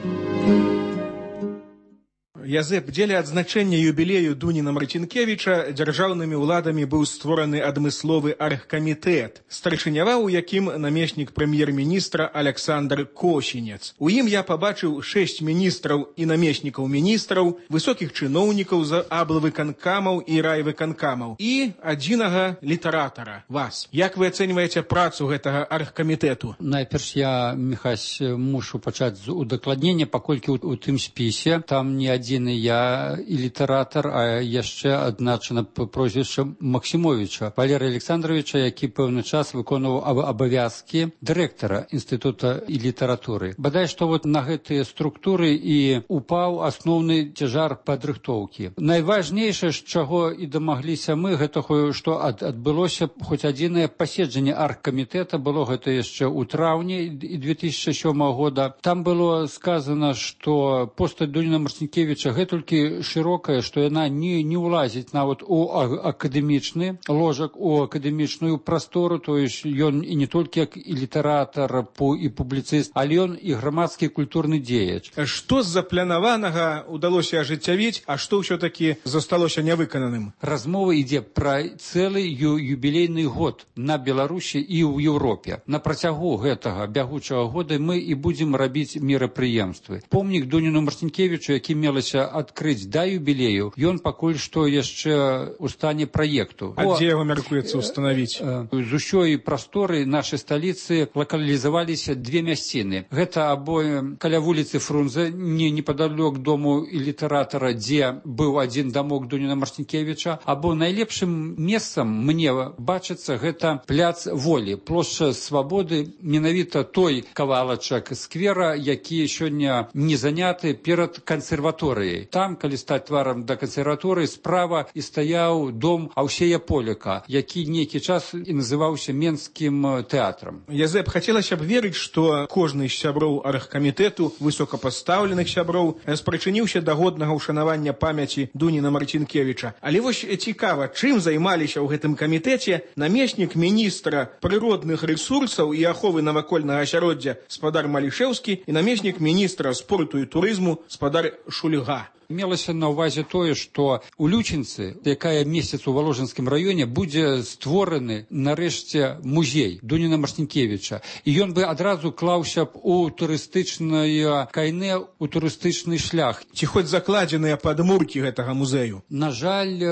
Язэп, дзеля адзначэння юбілею Дуніна Марцінкевіча дзяржаўнымі ўладамі быў створаны адмысловы аргкамітэт, старшыняваў у якім намеснік прэм'ер-міністра Александр Косінец. У ім я пабачыў шэсць міністраў і намеснікаў міністраў, высокіх чыноўнікаў з аблвыканкамаў і райвыканкамаў і адзінага літаратара, вас. Як вы ацэньваеце працу гэтага аргкамітэту? Найперш я, Міхась, мушу пачаць з удакладнення, паколькі ў тым спісе там не адзін адзіны я і літаратар, а яшчэ адзначана прозвішча Максімовіча Валерыя Александровича, які пэўны час выконваў абавязкі дырэктара інстытута і літаратуры. Бадай што вот на гэтыя структуры і упаў асноўны цяжар падрыхтоўкі. Найважнейшае, з чаго і дамагліся мы, гэта што ад, адбылося хоць адзінае паседжанне аргкамітэта, было гэта яшчэ ў траўні две тысячи сёмага года. Там было сказано, што постаць Дуніна Марцінкевіча гэтулькі шырокая, што яна не, не ўлазіць нават у акадэмічны ложак, у акадэмічную прастору, то есть ён і не толькі як і літаратар, і публіцыст, але ён і грамадскі культурны дзеяч. Што з запланаванага ўдалося ажыццявіць, а што ўсё-такі засталося нявыкананым? Размова ідзе пра цэлы ю, юбілейны год на Беларусі і ў Еўропе. На працягу гэтага бягучага года мы і будзем рабіць мерапрыемствы. Помнік Дуніну Марцінкевічу, які мелася адкрыць да юбілею, ён пакуль што яшчэ ў стане праекту. А дзе яго мяркуецца ўстанавіць? З усёй прасторы нашай сталіцы лакалізаваліся две мясціны. Гэта або каля вуліцы Фрунзе, не непадалёк дому і літаратара, дзе быў адзін дамок Дуніна Марцінкевіча, або найлепшым месцам мне бачыцца гэта пляц Волі, плошча Свабоды, менавіта той кавалачак сквера, які сёння не заняты перад кансерваторыяй. Там, калі стаць тварам да кансерваторыі, справа і стаяў дом Аўсея Поляка, які нейкі час і называўся Менскім тэатрам. Язэп, хацелася б верыць, што кожны з сяброў аргкамітэту, высокапастаўленых сяброў, спрычыніўся да годнага ўшанавання памяці Дуніна Марцінкевіча. Але вось цікава, чым займаліся ў гэтым камітэце намеснік міністра прыродных рэсурсаў і аховы навакольнага асяроддзя спадар Малішэўскі і намеснік міністра спорту і турызму спадар Шульга. Мелася на ўвазе тое, што у Лючынцы, якая месяц у Валожынскім раёне, будзе створаны нарэшце музей Дуніна Марцінкевіча. І ён бы адразу клаўся б у турыстычнае кайне, у турыстычны шлях. Ці хоць закладзеныя падмуркі гэтага музею? На жаль,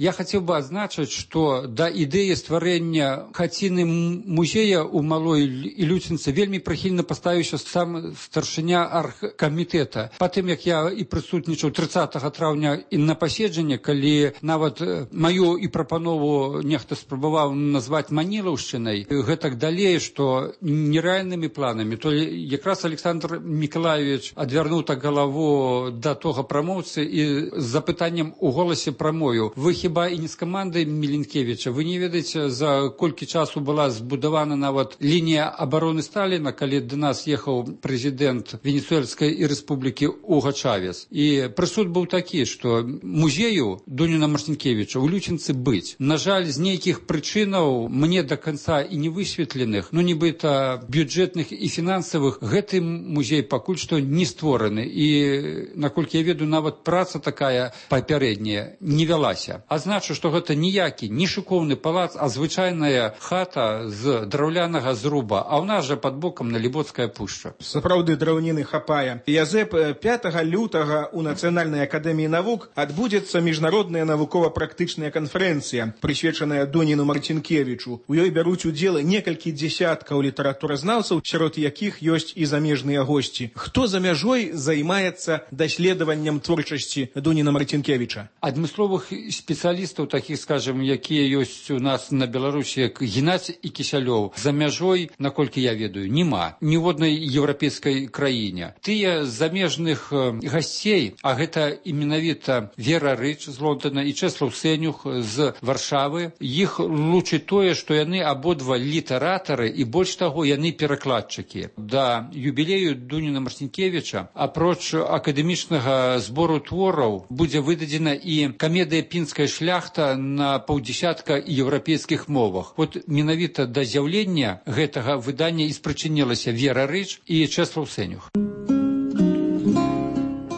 я хацеў бы адзначыць, што да ідэі стварэння хаціны музея ў Малой Лючынцы вельмі прыхільна паставіўся сам старшыня аргкамітэта. Патым, як я і прысутнічаў трыццатага траўня і на паседжанне, калі нават маю і прапанову нехта спрабаваў назваць манілаўшчынай, гэтак далей, што нерэальнымі планамі, то якраз Александр Мікалаевич адвярнуў так галаву да тога прамоўцы і з запытаннем у голасе прамою: вы хіба і не з камандай Міленкевіча? Вы не ведаеце, за колькі часу была збудавана нават лінія абароны Сталіна, калі да нас ехаў прэзідэнт Венесуэльскай рэспублікі Уга Чавес. І прысуд быў такі, што музею Дуніна Марцінкевіча ў Лючынцы быць. На жаль, з нейкіх прычынаў, мне да канца і не высветленых, ну нібыта бюджэтных і фінансавых, гэты музей пакуль што не створаны. І, наколькі я ведаю, нават праца такая папярэдняя не вялася. А значу, што гэта ніякі, не шыкоўны палац, а звычайная хата з драўлянага зруба, а ў нас жа пад бокам Налібоцкая пушча. Сапраўды драўніны хапае. Язэп, пятага лютага у Нацыянальнай акадэміі навук адбудзецца міжнародная навукова-практычная канферэнцыя, прысвечаная Дуніну Марцінкевічу. У ёй бяруць удзел некалькі дзесяткаў літаратуразнаўцаў, сярод якіх ёсць і замежныя госці. Хто за мяжой займаецца даследаваннем творчасці Дуніна Марцінкевіча? Адмысловых спецыялістаў, такіх, скажем, якія ёсць у нас на Беларусі, як Геннадзь і Кісялёў, за мяжой, наколькі я ведаю, няма. Ні ў однай еўрапейскай краіне. Тыя замежных гасцей, а гэта і менавіта Вера Рыч з Лондона і Чэслаў Сэнюх з Варшавы, іх лучыць тое, што яны абодва літаратары і больш таго, яны перакладчыкі. Да юбілею Дуніна Марцінкевіча, апроч акадэмічнага збору твораў, будзе выдадзена і камедыя «Пінская шляхта» на паўдзесятка еўрапейскіх мовах. Вот менавіта да з'яўлення гэтага выдання і спрычынілася Вера Рыч і Чэслаў Сэнюх.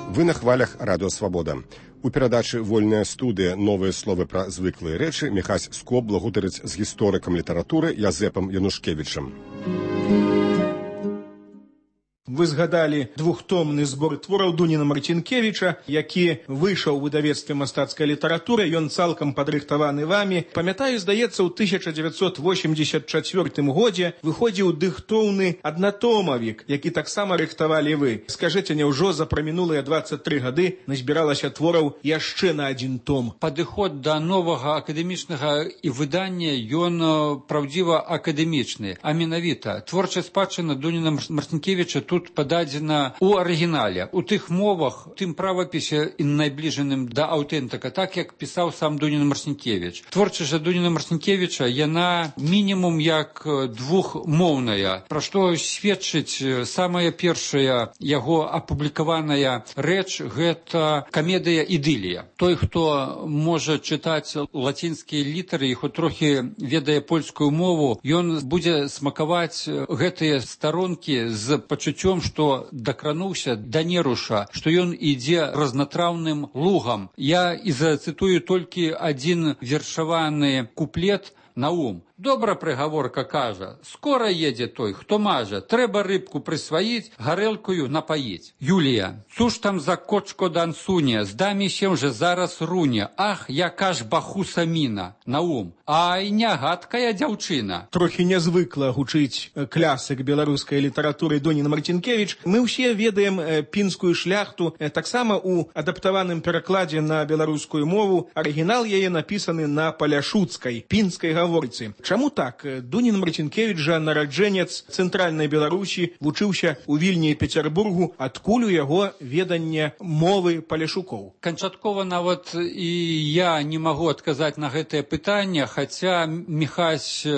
Вы на хвалях Радыё Свабода. У перадачы «Вольная студыя. Новыя словы пра звыклыя рэчы» Міхась Скоб благутарыць з гісторыкам літаратуры Язэпам Янушкевічам. Вы згадалі двухтомны збор твораў Дуніна Марцінкевіча, які выйшаў у выдавецтве мастацкай літаратуры. Ён цалкам падрыхтаваны вамі. Памятаю, здаецца, у тысяча дзевяцьсот восемьдесят чвёртым годзе выходзіў дыхтоўны аднатомавік, які таксама рыхтавалі вы. Скажыце, няўжо за прамінулыя двадцать тры гады назбіралася твораў яшчэ на адзін том? Падыход да новага акадэмічнага і выдання, ён праўдзіва акадэмічны. А менавіта, творчая спадчына Дуніна Марцінкевіча тут пададзена ў арыгінале, у тых мовах, тым правапісе і найбліжаным да аўтэнтыка, так як пісаў сам Дунін Марцінкевіч. Творчасць жа Дуніна Марцінкевіча, яна мінімум як двухмоўная, пра што сведчыць самая першая яго апублікаваная рэч, гэта камедыя «Ідылія». Той, хто можа чытаць лацінскія літары і хоць трохі ведае польскую мову, ён будзе смакаваць гэтыя старонкі з пачуццём, што дакрануўся да неруша, што ён ідзе разнатраўным лугам. Я і зацытую толькі адзін вершаваны куплет на ум. Добра прыгаворка кажа, скора едзе той, хто мажа, трэба рыбку прысваіць, гарэлкую напаіць. Юлія, цуж там за кочко дансуне, здамі сем же зараз руне, ах, яка ж бахуса міна, на ум. Ай, нягадкая дзяўчына. Трохі нязвыкла гучыць клясык беларускай літаратуры Дунін Марцінкевіч. Мы ўсе ведаем пінскую шляхту, таксама у адаптаваным перакладзе на беларускую мову. Арыгінал яе напісаны на паляшуцкай, пінскай гаворцы. Чаму так? Дунін Марцінкевіч жа нараджэнец цэнтральнай Беларусі, вучыўся ў Вільні і Пецярбургу, адкуль у яго веданне мовы паляшукоў. Канчаткова нават і я не магу адказаць на гэтае пытанне, хаця, Міхась,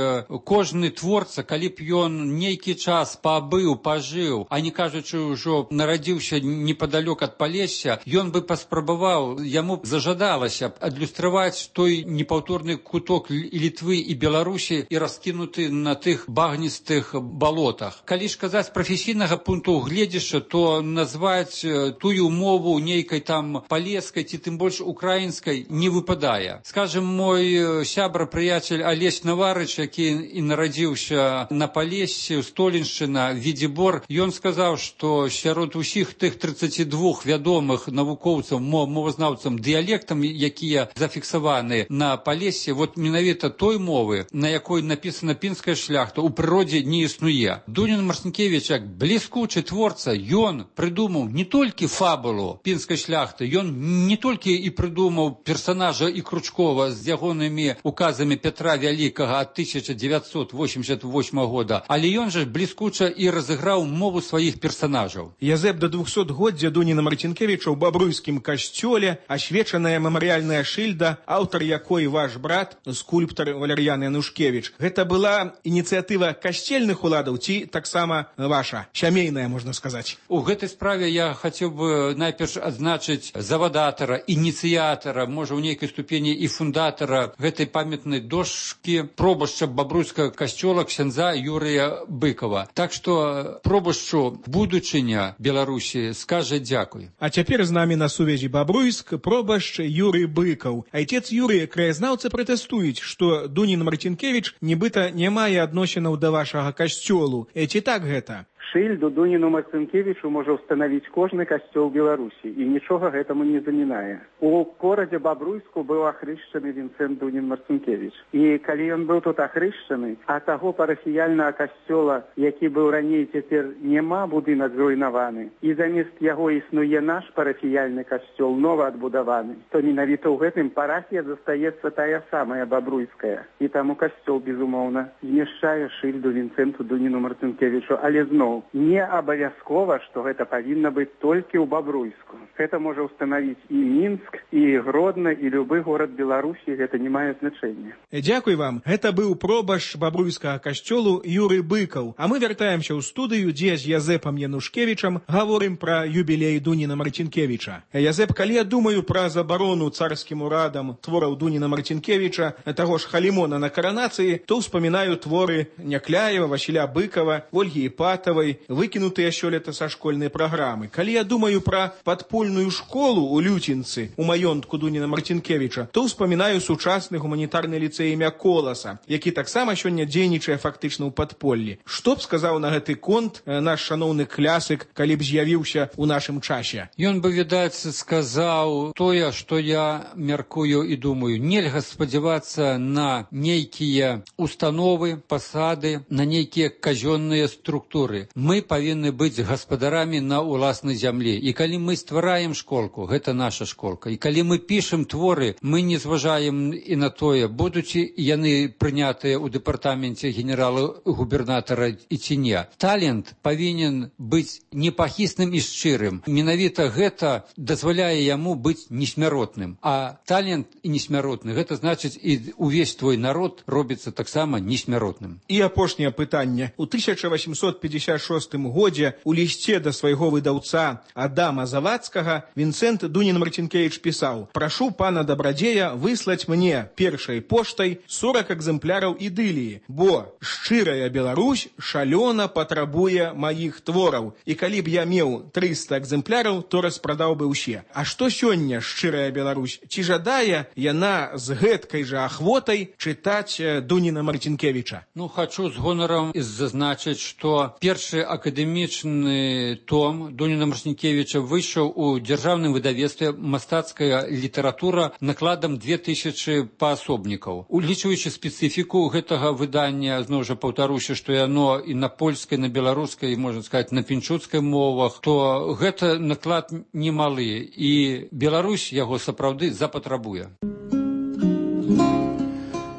кожны творца, калі б ён нейкі час пабыў, пажыў, а не кажучы ўжо нарадзіўся непадалёк ад Палесся, ён бы паспрабаваў, яму б зажадалася адлюстраваць той непаўторны куток Літвы і Беларусі і раскінуты на тых багністых балотах. Калі ж казаць прафесійнага пункту гледзяшча, то назваць тую мову нейкай там палескай ці тым больш украінскай не выпадае. Скажем, мой сябра, прыяцель Алесь Наварыч, які і нарадзіўся на Палессі, Століншчына, Відзібор, ён сказаў, што сярод усіх тых тридцати двух вядомых навукоўцаў, мовазнаўцам дыялектам, якія зафіксаваны на Палессі, вот менавіта той мовы, на якой напісана пінская шляхта, у прыродзе не існуе. Дунін Марцінкевіч, як бліскучы творца, ён прыдумаў не толькі фабулу пінскай шляхты, ён не толькі і прыдумаў персонажа і Кручкова з ягонымі указамі Петра Вялікага ад тысяча дзевяцьсот восемьдесят восьмого года, але ён жа бліскуча і разыграў мову сваіх персонажаў. Язэп да двухсотгоддзя Дуніна Марцінкевіча ў бабруйскім касцёле, асвечаная мемарыяльная шыльда, аўтар якой ваш брат, скульптар Валер'ян Янушкевич. Гэта была ініцыятыва касцельных уладаў ці таксама ваша, сямейная, можна сказаць? У гэтай справе я хацеў бы найперш адзначыць завадатара, ініцыятара, можа, ў нейкай ступені і фундатара гэтай памятнай дошкі пробашча бабруйскага касцёла ксяндза Юрыя Быкова. Так што пробашчу будучыня Беларусі скажа дзякуй. А цяпер з намі на сувязі Бабруйск пробашч Юрый Быкаў. Айцец Юрый, краязнаўцы пратэстуюць, што Дунін Марцінкевіч нібыта не мае адносінаў да вашага касцёлу. Ці так гэта? Шыльду Дуніну Марцінкевічу можа ўстанавіць кожны касцёл Беларусі, і нічога гэтаму не замінае. У горадзе Бабруйску быў ахрышчаны Вінцэнт Дунін Марцінкевіч. І калі ён быў тут ахрышчаны, а таго парафіяльнага касцёла, які быў раней, цяпер няма, будынак зруйнаваны, і замест яго існуе наш парафіяльны касцёл, нова адбудаваны, то менавіта ў гэтым парафія застаецца тая самая бабруйская. І таму касцёл, безумоўна, змяшчае шыльду Вінцэнту Дуніну Марцінкевічу, але зноў не абавязкова, што гэта павінна быць толькі ў Бабруйску. Гэта можа ўстанавіць і Мінск, і Гродна, і любы горад Беларусі, гэта не мае значэння. Дзякуй вам. Гэта быў пробашч бабруйскага касцёлу Юрый Быкаў. А мы вяртаемся ў студыю, дзе з Язэпам Янушкевічам гаворым пра юбілей Дуніна Марцінкевіча. Язэп, калі я думаю пра забарону царскім урадам твораў Дуніна Марцінкевіча, таго ж Халімона на каранацыі, то ўспамінаю творы Някляева, Васіля Быкава, Ольгі Іпатавай, Кулешовай, выкінутыя сёлета са школьнай праграмы. Калі я думаю пра падпольную школу ў Люцінцы, у маёнтку Дуніна Марцінкевіча, то ўспамінаю сучасны гуманітарны ліцэй імя Коласа, які таксама сёння дзейнічае фактычна ў падполлі. Што б сказаў на гэты конт наш шаноўны клясык, калі б з'явіўся ў нашым часе? Ён бы, відаць, сказаў тое, што я мяркую і думаю. Нельга спадзявацца на нейкія установы, пасады, на нейкія казённыя структуры. Мы павінны быць гаспадарамі на ўласнай зямлі. І калі мы ствараем школку, гэта наша школка. І калі мы пішем творы, мы не зважаем і на тое, будуць яны прынятыя ў дэпартаменце генерала-губернатара і ці не. Талент павінен быць непахісным і шчырым. Менавіта гэта дазваляе яму быць несмяротным. А талент і несмяротны, гэта значыць і увесь твой народ робіцца таксама несмяротным. І апошняе пытанне. У тысяча восемьсот пятьдесят шостым годзе у лісце да свайго выдаўца Адама Завадскага Вінцэнт Дунін Марцінкевіч пісаў: «Прашу пана дабрадзея выслаць мне першай поштай сорок экземпляраў ідыліі, бо шчырая Беларусь шалёна патрабуе маіх твораў, і калі б я меў трыста экземпляраў, то распрадаў бы ўсе». А што сёння шчырая Беларусь? Ці жадае яна з гэткай жа ахвотай чытаць Дуніна Марцінкевіча? Ну, хачу з гонарам зазначыць, што першы акадэмічны том Дуніна Марцінкевіча выйшаў у дзяржаўным выдавецтве «Мастацкая літаратура» накладам две тысячы паасобнікаў. Улічваючы спецыфіку гэтага выдання, зноў жа паўтаруся, што яно і на польскай, на беларускай, можна сказаць, на пінчуцкай мовах, то гэта наклад немалы, і Беларусь яго сапраўды запатрабуе.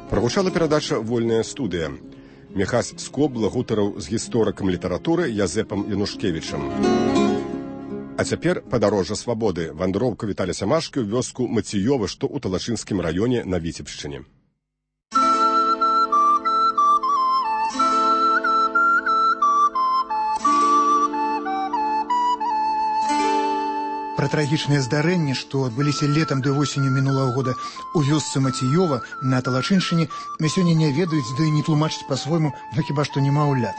Прагучала перадача «Вольная студыя». Міхась Скобла гутараў з гісторыкам літаратуры Язэпам Янушкевічам. А цяпер падарожжа свабоды. Вандроўка Віталя Сямашкі ў вёску Мацыёва, што ў Талачынскім раёне на Віцебшчыне. Пра трагічнае здарэнне, што адбыліся летам ды восенню мінулага года у вёсцы Мацыёва на Талачыншчыне, мы сёння не ведаюць, ды не тлумачыць па-свойму, ну хіба што немаўлят.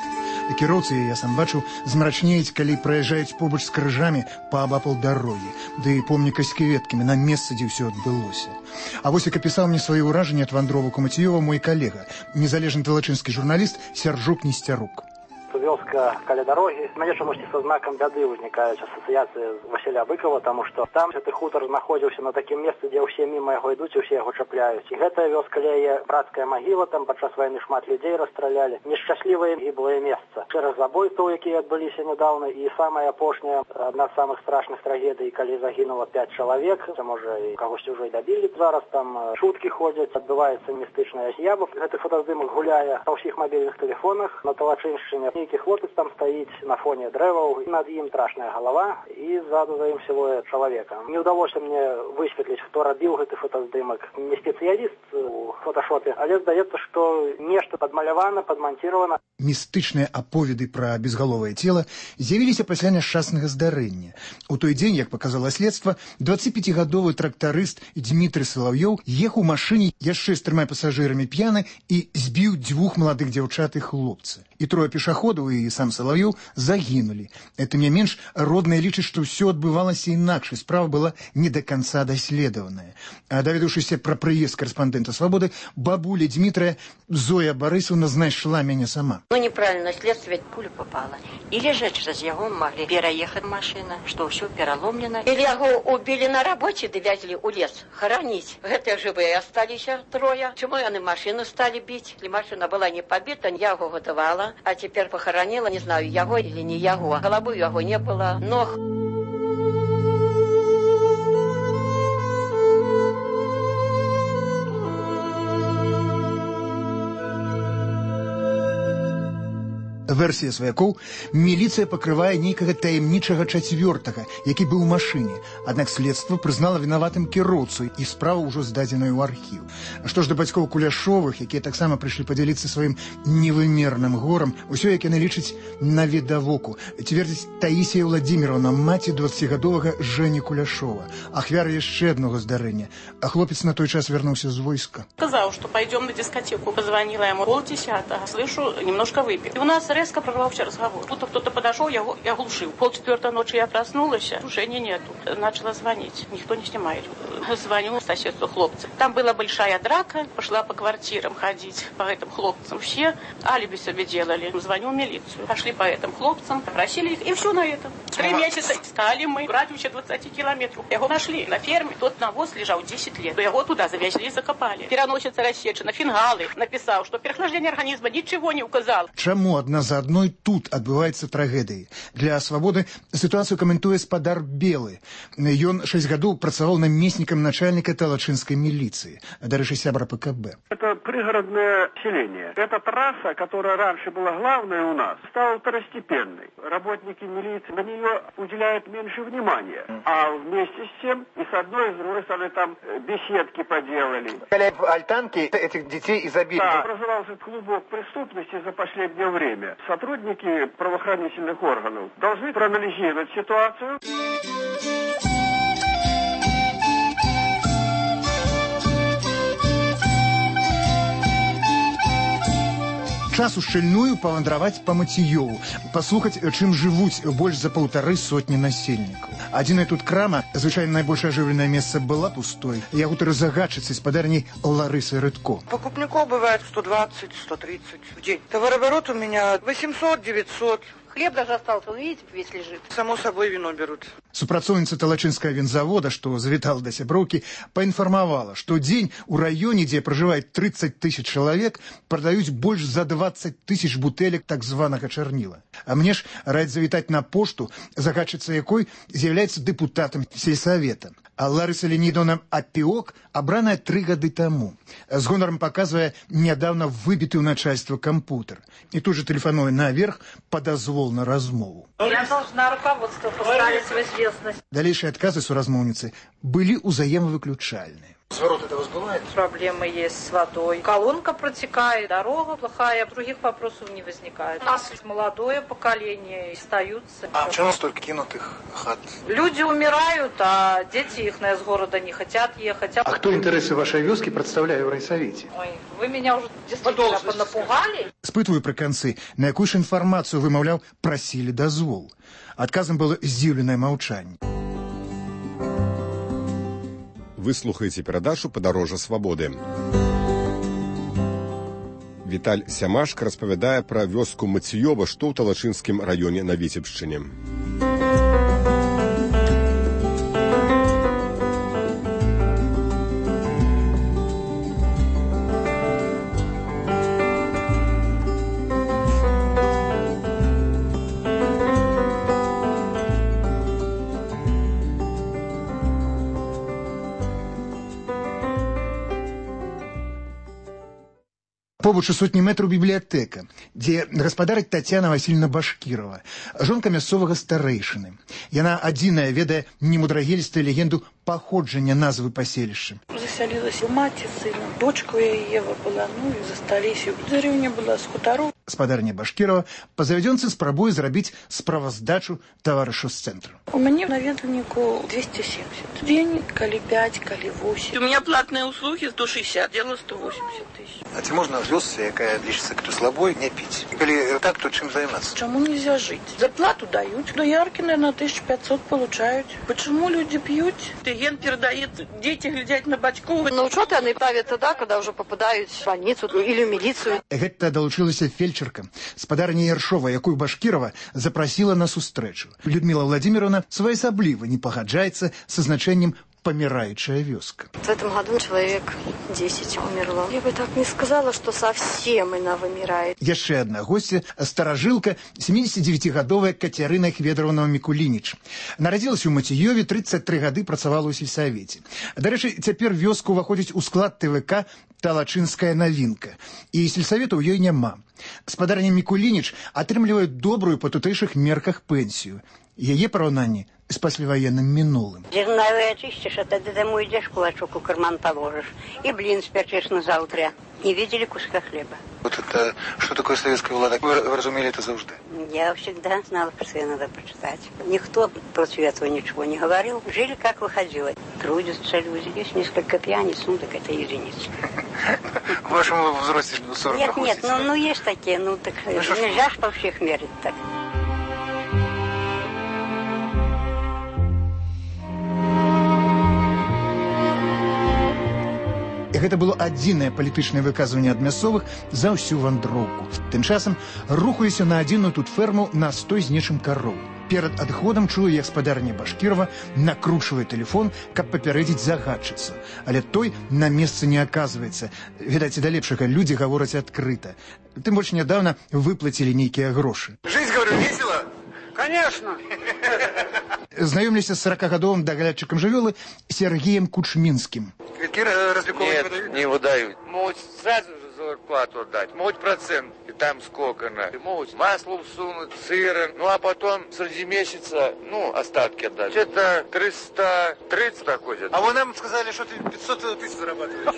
Кіроўцы, я сам бачыў, змрачнеюць, калі праязджаюць побач з крыжамі паабапал дарогі, ды помніка з кветкамі на месцы, дзе ўсё адбылося. А вось як апісаў мне свае ўражанні ад вандровак у Мацыёва мой калега, незалежны талачынскі журналіст Сяржук Несцярук. Вёска каля дарогі. Мяне чамусьці са знакам бяды ўзнікаюць асацыяцыі з Васіля Быкова, таму што там гэты хутар знаходзіўся на такім месцы, дзе ўсе міма яго ідуць і ўсе яго чапляюць. І гэтая вёска ляе брацкая магіла, там падчас вайны шмат людзей расстралялі. Нешчаслівае гіблае месца. Шэраг забойстваў, якія адбыліся нядаўна, і самая апошняя, адна з самых страшных трагедый, калі загінула пяць чалавек, можа і кагосьці ўжо і дабілі. Зараз там шуткі ходзяць, адбываецца містычная з'ява. Гэты фотаздымак гуляе на ўсіх мабільных тэлефонах на Талачыншчыне. Нейкі хлопец там стаіць на фоне дрэваў, над ім страшная галава, і ззаду за ім сілуэт чалавека. Не ўдалося мне высветліць, хто рабіў гэты фотаздымак. Не спецыяліст у фоташопе, але здаецца, што нешта падмалявана, падманціравана. Містычныя аповеды пра безгаловае цела з'явіліся пасля няшчаснага здарэння. У той дзень, як паказала следства, дваццаціпяцігадовы трактарыст Дмітрый Салаўёў ехаў у машыне яшчэ з трыма пасажырамі п'яны і збіў дзвюх маладых дзяўчат і хлопца. І трое пешаходаў і сам Салаўёў загінулі. Это не менш, родныя лічаць, што ўсё адбывалася інакш, і справа была не да канца даследаваная. А даведаўшыся пра прыезд карэспандэнта «Свабоды», бабуля Дмітрая Зоя Барысаўна знайшла мяне сама. Ну, неправильно, следствие пуля попала. Или же через его могли переехать машина, что все переломлено. Или его убили на работе, довезли у лес хоронить. Это живые остались трое. Чему они машину стали бить? Если машина была не побита, я его готовала. А теперь похоронила, не знаю, его или не его. Головы его не было, ног. Версія сваякоў, міліцыя пакрывае нейкага таямнічага чацвёртага, які быў у машыне. Аднак следства прызнала вінаватым кіроўцу, і справа ўжо здадзеная ў архіў. Што ж да бацькоў Куляшовых, якія таксама прыйшлі падзяліцца сваім невымерным горам, усё, як яны лічаць, навідавоку. Цвердзіць Таісія Владзіміровна, маці дваццацігадовага Жэні Куляшова, ахвяра яшчэ аднаго здарэння. А хлопец на той час вярнуўся з войска. Сказал, что пойдем на дискотеку. Позвонила ему полдесятого. Слышу, немножко выпил. И у нас резко прорвался разговор. Будто кто-то подошел, я, я оглушил. Полчетвертого ночи я проснулась, тушения нету. Начала звонить. Никто не снимает. Звоню соседству хлопцев. Там была большая драка. Пошла по квартирам ходить, по этим хлопцам. Все алиби себе делали. Звоню в милицию. Пошли по этим хлопцам, попросили их. И все на этом. Три месяца искали мы. В радиусе двадцати километров. Его нашли на ферме. Тот навоз лежал десять лет. Его туда завезли и закопали. Переносится рассечена, фингалы. Написал, что переохлаждение организма ничего не указал. Чаму адна за адной тут адбываецца трагедыі? Для свабоды сітуацыю каментуе спадар Белы. Ён шэсць гадоў працаваў намеснікам начальника талачынской милиции, дарэчы, сябра ПКБ. Это пригородное селение. Эта трасса, которая раньше была главной у нас, стала второстепенной. Работники милиции на нее уделяют меньше внимания. А вместе с тем и с одной, и с другой стороны там беседки поделали. Альтанки этих детей изобилия. Да, образовался клубок преступности за последнее время. Сотрудники правоохранительных органов должны проанализировать ситуацию. Час ушчыльную павандраваць па Мацеёву, паслухаць, чым жывуць больш за паўтары сотні насельнікаў. Адзіная тут крама, звычайна найбольш ажыўленае месца, была пустой. Я гутару загадчыцы спадарняй Ларысы Рыдко. Покупников бывает сто двадцать - сто тридцать в день. Товарооборот у меня восемьсот - девятьсот. Хлеб даже остался, вы видите, весь лежит. Само собой вино берут. Супрацоўніца талачынскага вінзавода, што завітала да сяброўкі, паінфармавала, што дзень у раёне, дзе пражывае тридцать тысяч чалавек, прадаюць больш за двадцать тысяч бутэлек так званага чарніла. А мне ж раяць завітаць на пошту, загадчыца якой з'яўляецца дэпутатам сельсавета. А Ларыса Леонидовна Апіок абраная три гады таму. З гонарам паказвае нядаўна выбіты ў начальства кампутер. І тут же тэлефануе наверх па дазвол на размову. Я должна руководство поставить в известность. Далейшие адказы суразмоўніцы былі ўзаемавыключальныя. Сворот это возбывает? Проблемы есть с водой. Колонка протекает, дорога плохая, других вопросов не возникает. У нас молодое поколение, остаются. А почему столько кинутых хат? Люди умирают, а дети их с города не хотят ехать. А кто интересы вашей вёски представляю в райсовете? Ой, вы меня уже действительно понапугали. Спытваю пры канцы, на якую ж інфармацыю, вымаўляў, прасілі дазвол. Адказам было здзіўленае маўчанне. Вы слухаеце перадачу «Падарожжа свабоды». Віталь Сямашка распавядае пра вёску Мацеёва, што ў Талачынскім раёне на Віцебшчыне. Побач у сотні метраў бібліятэка, дзе гаспадарыць Тацяна Васильевна Башкірова, жонка мясцовага старэйшыны. Яна адзіная ведае немудрагелістую легенду паходжання назвы паселішча. Заселилась у маці сына, дочка у Ева была, ну и застались. Деревня была с хуторов. Спадарня Башкірова па завядзёнцы спрабуе зрабіць справаздачу таварышу з цэнтру. У мяне наведвальніку двести семьдесят. День, калі пять, калі восемь. У меня платные услуги сто шестьдесят, дело сто восемьдесят тысяч. А ці можна вёсцы, якая лічыцца кто слабой, не піць? Калі так, то чым займацца? Чему нельзя жить? Зарплату дают, но ярки, наверное, тысячу пятьсот получают. Почему люди пьют? Ген передает, дети глядят на бачку. На учет они правят тогда, когда уже попадают в больницу или в милицию. Гэта далучылася фельчерка, спадарня Яршова, якую Башкірова запрасіла на сустрэчу. Людмила Владимировна своеасабліва не пагаджаецца са значэннем помирающая вёска. В этом году человек десять умерло. Я бы так не сказала, что совсем она вымирает. Яшчэ одна гостья, старажылка, семидесятидевятигадовая Катерина Хведоровна Микулинич. Нарадзілася ў Мацеёве, тридцать три гады працавала ў сельсавеце. Дарэчы, цяпер вёска ўваходзіць у склад ТВК «Талачынская навінка». І сельсавета ў ёй няма. Спадарня Микулинич атрымлівае добрую па тутэйшых мерках пенсію. Яе параўнанні с послевоенным минулым. Зерновые очистишь, а тогда домой идешь, кулачок у карман положишь. И блин спечешь на завтра. Не видели куска хлеба. Вот это, что такое советская влада? Вы разумели это завжди? Я всегда знала, про это надо прочитать. Никто против этого ничего не говорил. Жили, как выходило. Трудятся люди. Есть несколько пьяниц, ну так это единицы. В вашем возрасте сорок Нет, нет, ну, ну есть такие, ну так нельзя ж по всех мерить так. Гэта было адзінае палітычнае выказванне ад мясцовых за ўсю вандроўку. Тым часам рухаліся на адзіную тут ферму на стой з нечым кароў. Перад адходам чую, як спадарня Башкірова накручвае тэлефон, каб папярэдзіць загадчыцу. Але той на месцы не аказваецца. Відаць, і да лепшага людзі гавораць адкрыта. Тым больш нядаўна выплацілі нейкія грошы. Жизнь, говорю, весело? Конечно. Знаёмлюся з сорокагадовым даглядчыкам жывёлы Сергеем Кучмінскім. Квитки развлековые Нет, не выдают? не выдают. Могут сразу же зарплату отдать, могут процент, и там сколько на. Могут масло всунуть, сыра, ну а потом среди месяца, ну, остатки отдать. Где-то триста тридцать доходит. А вы нам сказали, что ты пятьсот тысяч зарабатываешь.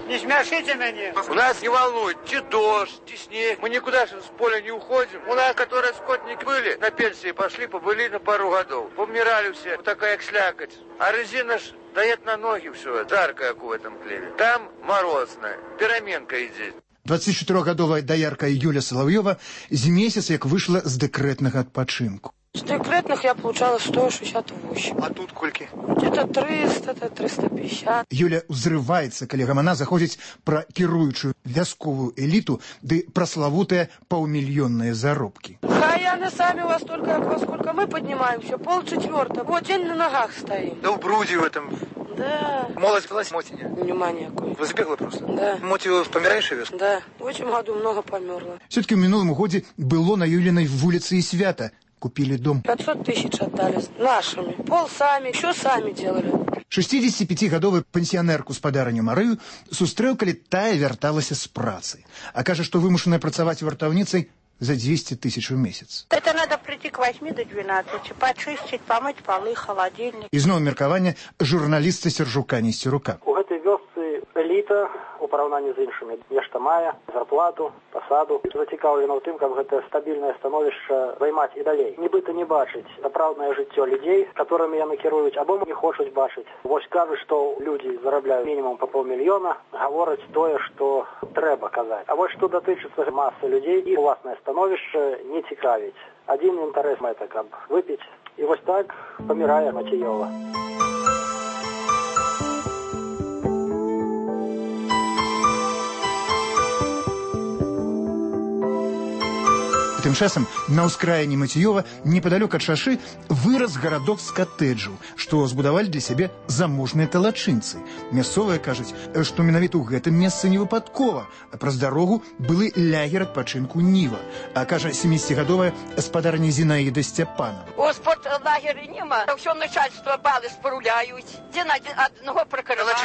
Не смешите меня. У нас не волнует, те дождь, те снег. Мы никуда же с поля не уходим. У нас, которые скотники были, на пенсии пошли, побыли на пару годов. Помирали все, вот такая как слякоть. А резина ж дает на ноги все, жарко, как в этом хлебе. Там морозно, пераменка идет. дваццацічатырохгадовая даярка Юля Соловьева з месяц як выйшла з дэкрэтнага адпачынку. С декретных я получала сто шестьдесят восемь. А тут кольки? Где-то триста, триста пятьдесят. Юля ўзрываецца, калі гамана заходзіць пра кіруючую вясковую эліту ды праславутыя паўмільённыя заробкі. А яны сами у вас только, во сколько мы поднимаемся, полчетвертого. Вот день на ногах стоим. Да в бруде в этом. Да. Молодь велась, моти нет? Внимание какое. Вы забегла просто? Да. Моти помираешь вес? Да. В этом году много померло. Все-таки в минулом годзе было на Юлиной вулице и свято. Купили дом. пятьсот тысяч отдали нашими. Пол сами, все сами делали. шестидесятипятигадовую пенсионерку спадарню Марыю сустрэў, калі тая вярталася з працы. А кажа, што вымушаная працаваць вартаўніцай за двести тысяч в месяц. Это надо прийти к восьми до двенадцати, почистить, помыть полы, холодильник. Ізноў меркаванне журналіста Сержука Несцерука. У гэтай вёсцы эліта у параўнанні з іншымі нешта мае, зарплату, пасаду. Зацікаўлена ў тым, каб гэтае стабільнае становішча займаць і далей. Нібыта не бачыць сапраўднае жыццё людзей, которымі яны кіруюць, або не хочуць бачыць. Вось кажуць, што людзі зарабляюць мінімум па паўмільёна, гавораць тое, што трэба казаць. А вось што датычыцца масы людзей, і уласнае становішча не цікавіць. Адзін інтарэс мэта, каб выпіць. І вось так памірае Мацеёва. Тым часам на ўскраіне Мацеёва, непадалёк ад шашы, вырас гарадок з катэджаў, што збудавалі для сябе заможныя талачынцы. Мясцовыя кажуць, што менавіта ў гэтым месцы не выпадкова, а праз дарогу былы лягер адпачынку Ніва. А кажа семидесятигадовая спадарня Зінаіда Сцяпанова. Господ лагеря нема, все начальство балы споруляют. Где на одного прокурора?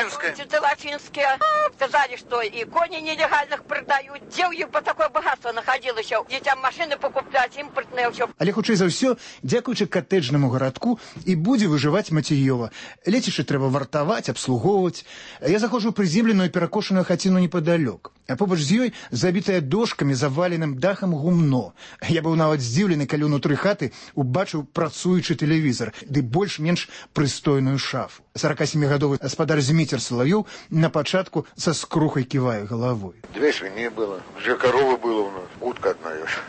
Талачинская. Сказали, что и кони нелегальных продают. Где у них бы такое богатство находилось? Детям машины покупать, импортные все. Але хутчэй за ўсё, дзякуючы катэджнаму гарадку і будзе выжываць Мацеёва. Лецішча трэба вартаваць, абслугоўваць. Я заходжу ў прыземленую перакошаную хаціну непадалёк. А побач з ёй забітая дошкамі, заваленым дахам гумно. Я быў нават здзіўлены, калі ўнутры хаты убачыў працуючы тэлевізор, ды больш-менш прыстойную шафу. сорокасемигадовый гаспадар Зміцер Соловьёв на пачатку са скрухай ківае галавой. Две свиньи было, две коровы было у нас, утка одна ешь.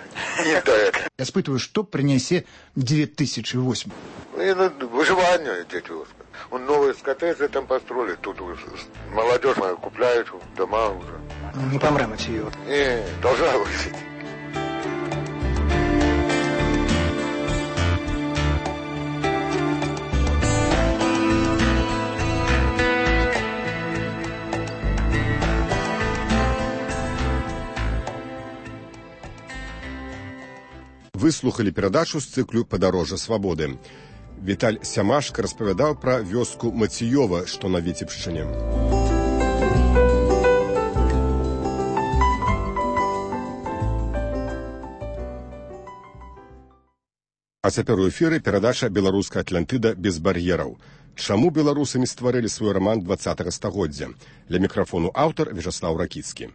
Не так. Я спытываю, што прынясе две тысячи восемь. Выживание, дети. Он новые коттеджи там построили, тут молодежь моя купляет дома уже. Не помрем от ее. Не, должна быть. Выслухали перадачу з цыклю «Падарожжа свабоды». Віталь Сямашка распавядаў пра вёску Мацеёва, што на Віцебшчыне. А цяпер у эфіры перадача «Беларуская Атлантыда без бар'ераў». Чаму беларусамі стварылі свой раман двадцатага стагоддзя? Ля мікрафону аўтар Вячаслаў Ракіцкі.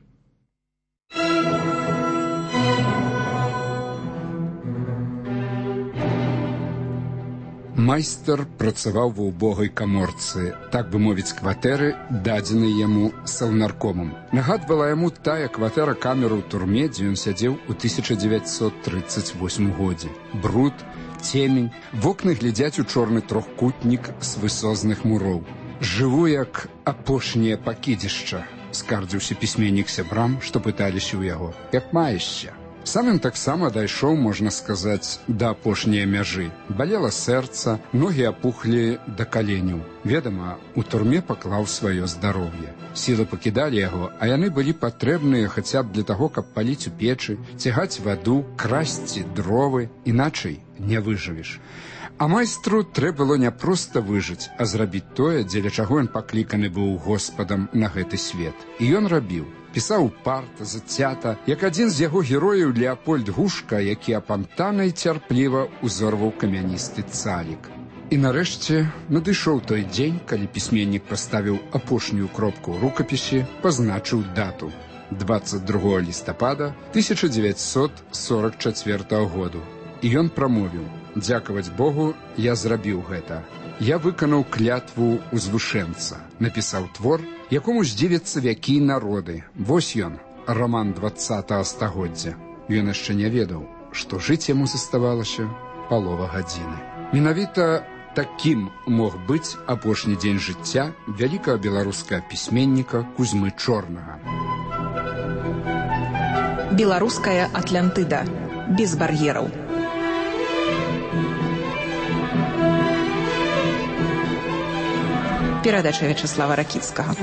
Майстар працаваў ва ўбогай каморцы, так бы мовіць, кватэры, дадзенай яму саўнаркомам. Нагадвала яму тая кватэра камеры ў турме, дзе ён сядзеў у тысяча дзевяцьсот трыццаць восьмым годзе. Бруд, цемень, вокны глядзяць у чорны трохкутнік з высозных муроў. «Жыву, як апошняе пакідзішча», скардзіўся пісьменнік сябрам, што пыталіся ў яго. «Як маешся?» Сам ён таксама дайшоў, можна сказаць, да апошняй мяжы. Балела сэрца, ногі апухлі да каленяў. Ведама, у турме паклаў сваё здароўе. Сілы пакідалі яго, а яны былі патрэбныя хаця б для таго, каб паліць у печы, цягаць ваду, красці дровы, іначай не выжывеш. А майстру трэ было не проста выжыць, а зрабіць тое, дзеля чаго ён пакліканы быў Господам на гэты свет. І ён рабіў. Пісаў упарта, зацята, як адзін з яго герояў Леапольд Гушка, які апантана і цярпліва узорваў камяністы цалік. І нарэшце надышоў той дзень, калі пісьменнік паставіў апошнюю кропку ў рукапісе, пазначыў дату двадцать другого лістапада тысяча дзевяцьсот сорок чацвёртага году. І ён прамовіў: «Дзякаваць Богу, я зрабіў гэта. Я выканаў клятву узвышэнца, напісаў твор, якому здзівяцца вякі і народы. Вось ён, раман двадцатага стагоддзя». Ён яшчэ не ведаў, што жыць яму заставалася палова гадзіны. Менавіта такім мог быць апошні дзень жыцця вялікага беларускага пісьменніка Кузьмы Чорнага. Беларуская Атлантыда. Без бар'ераў. Перадача Вячаслава Ракіцкага.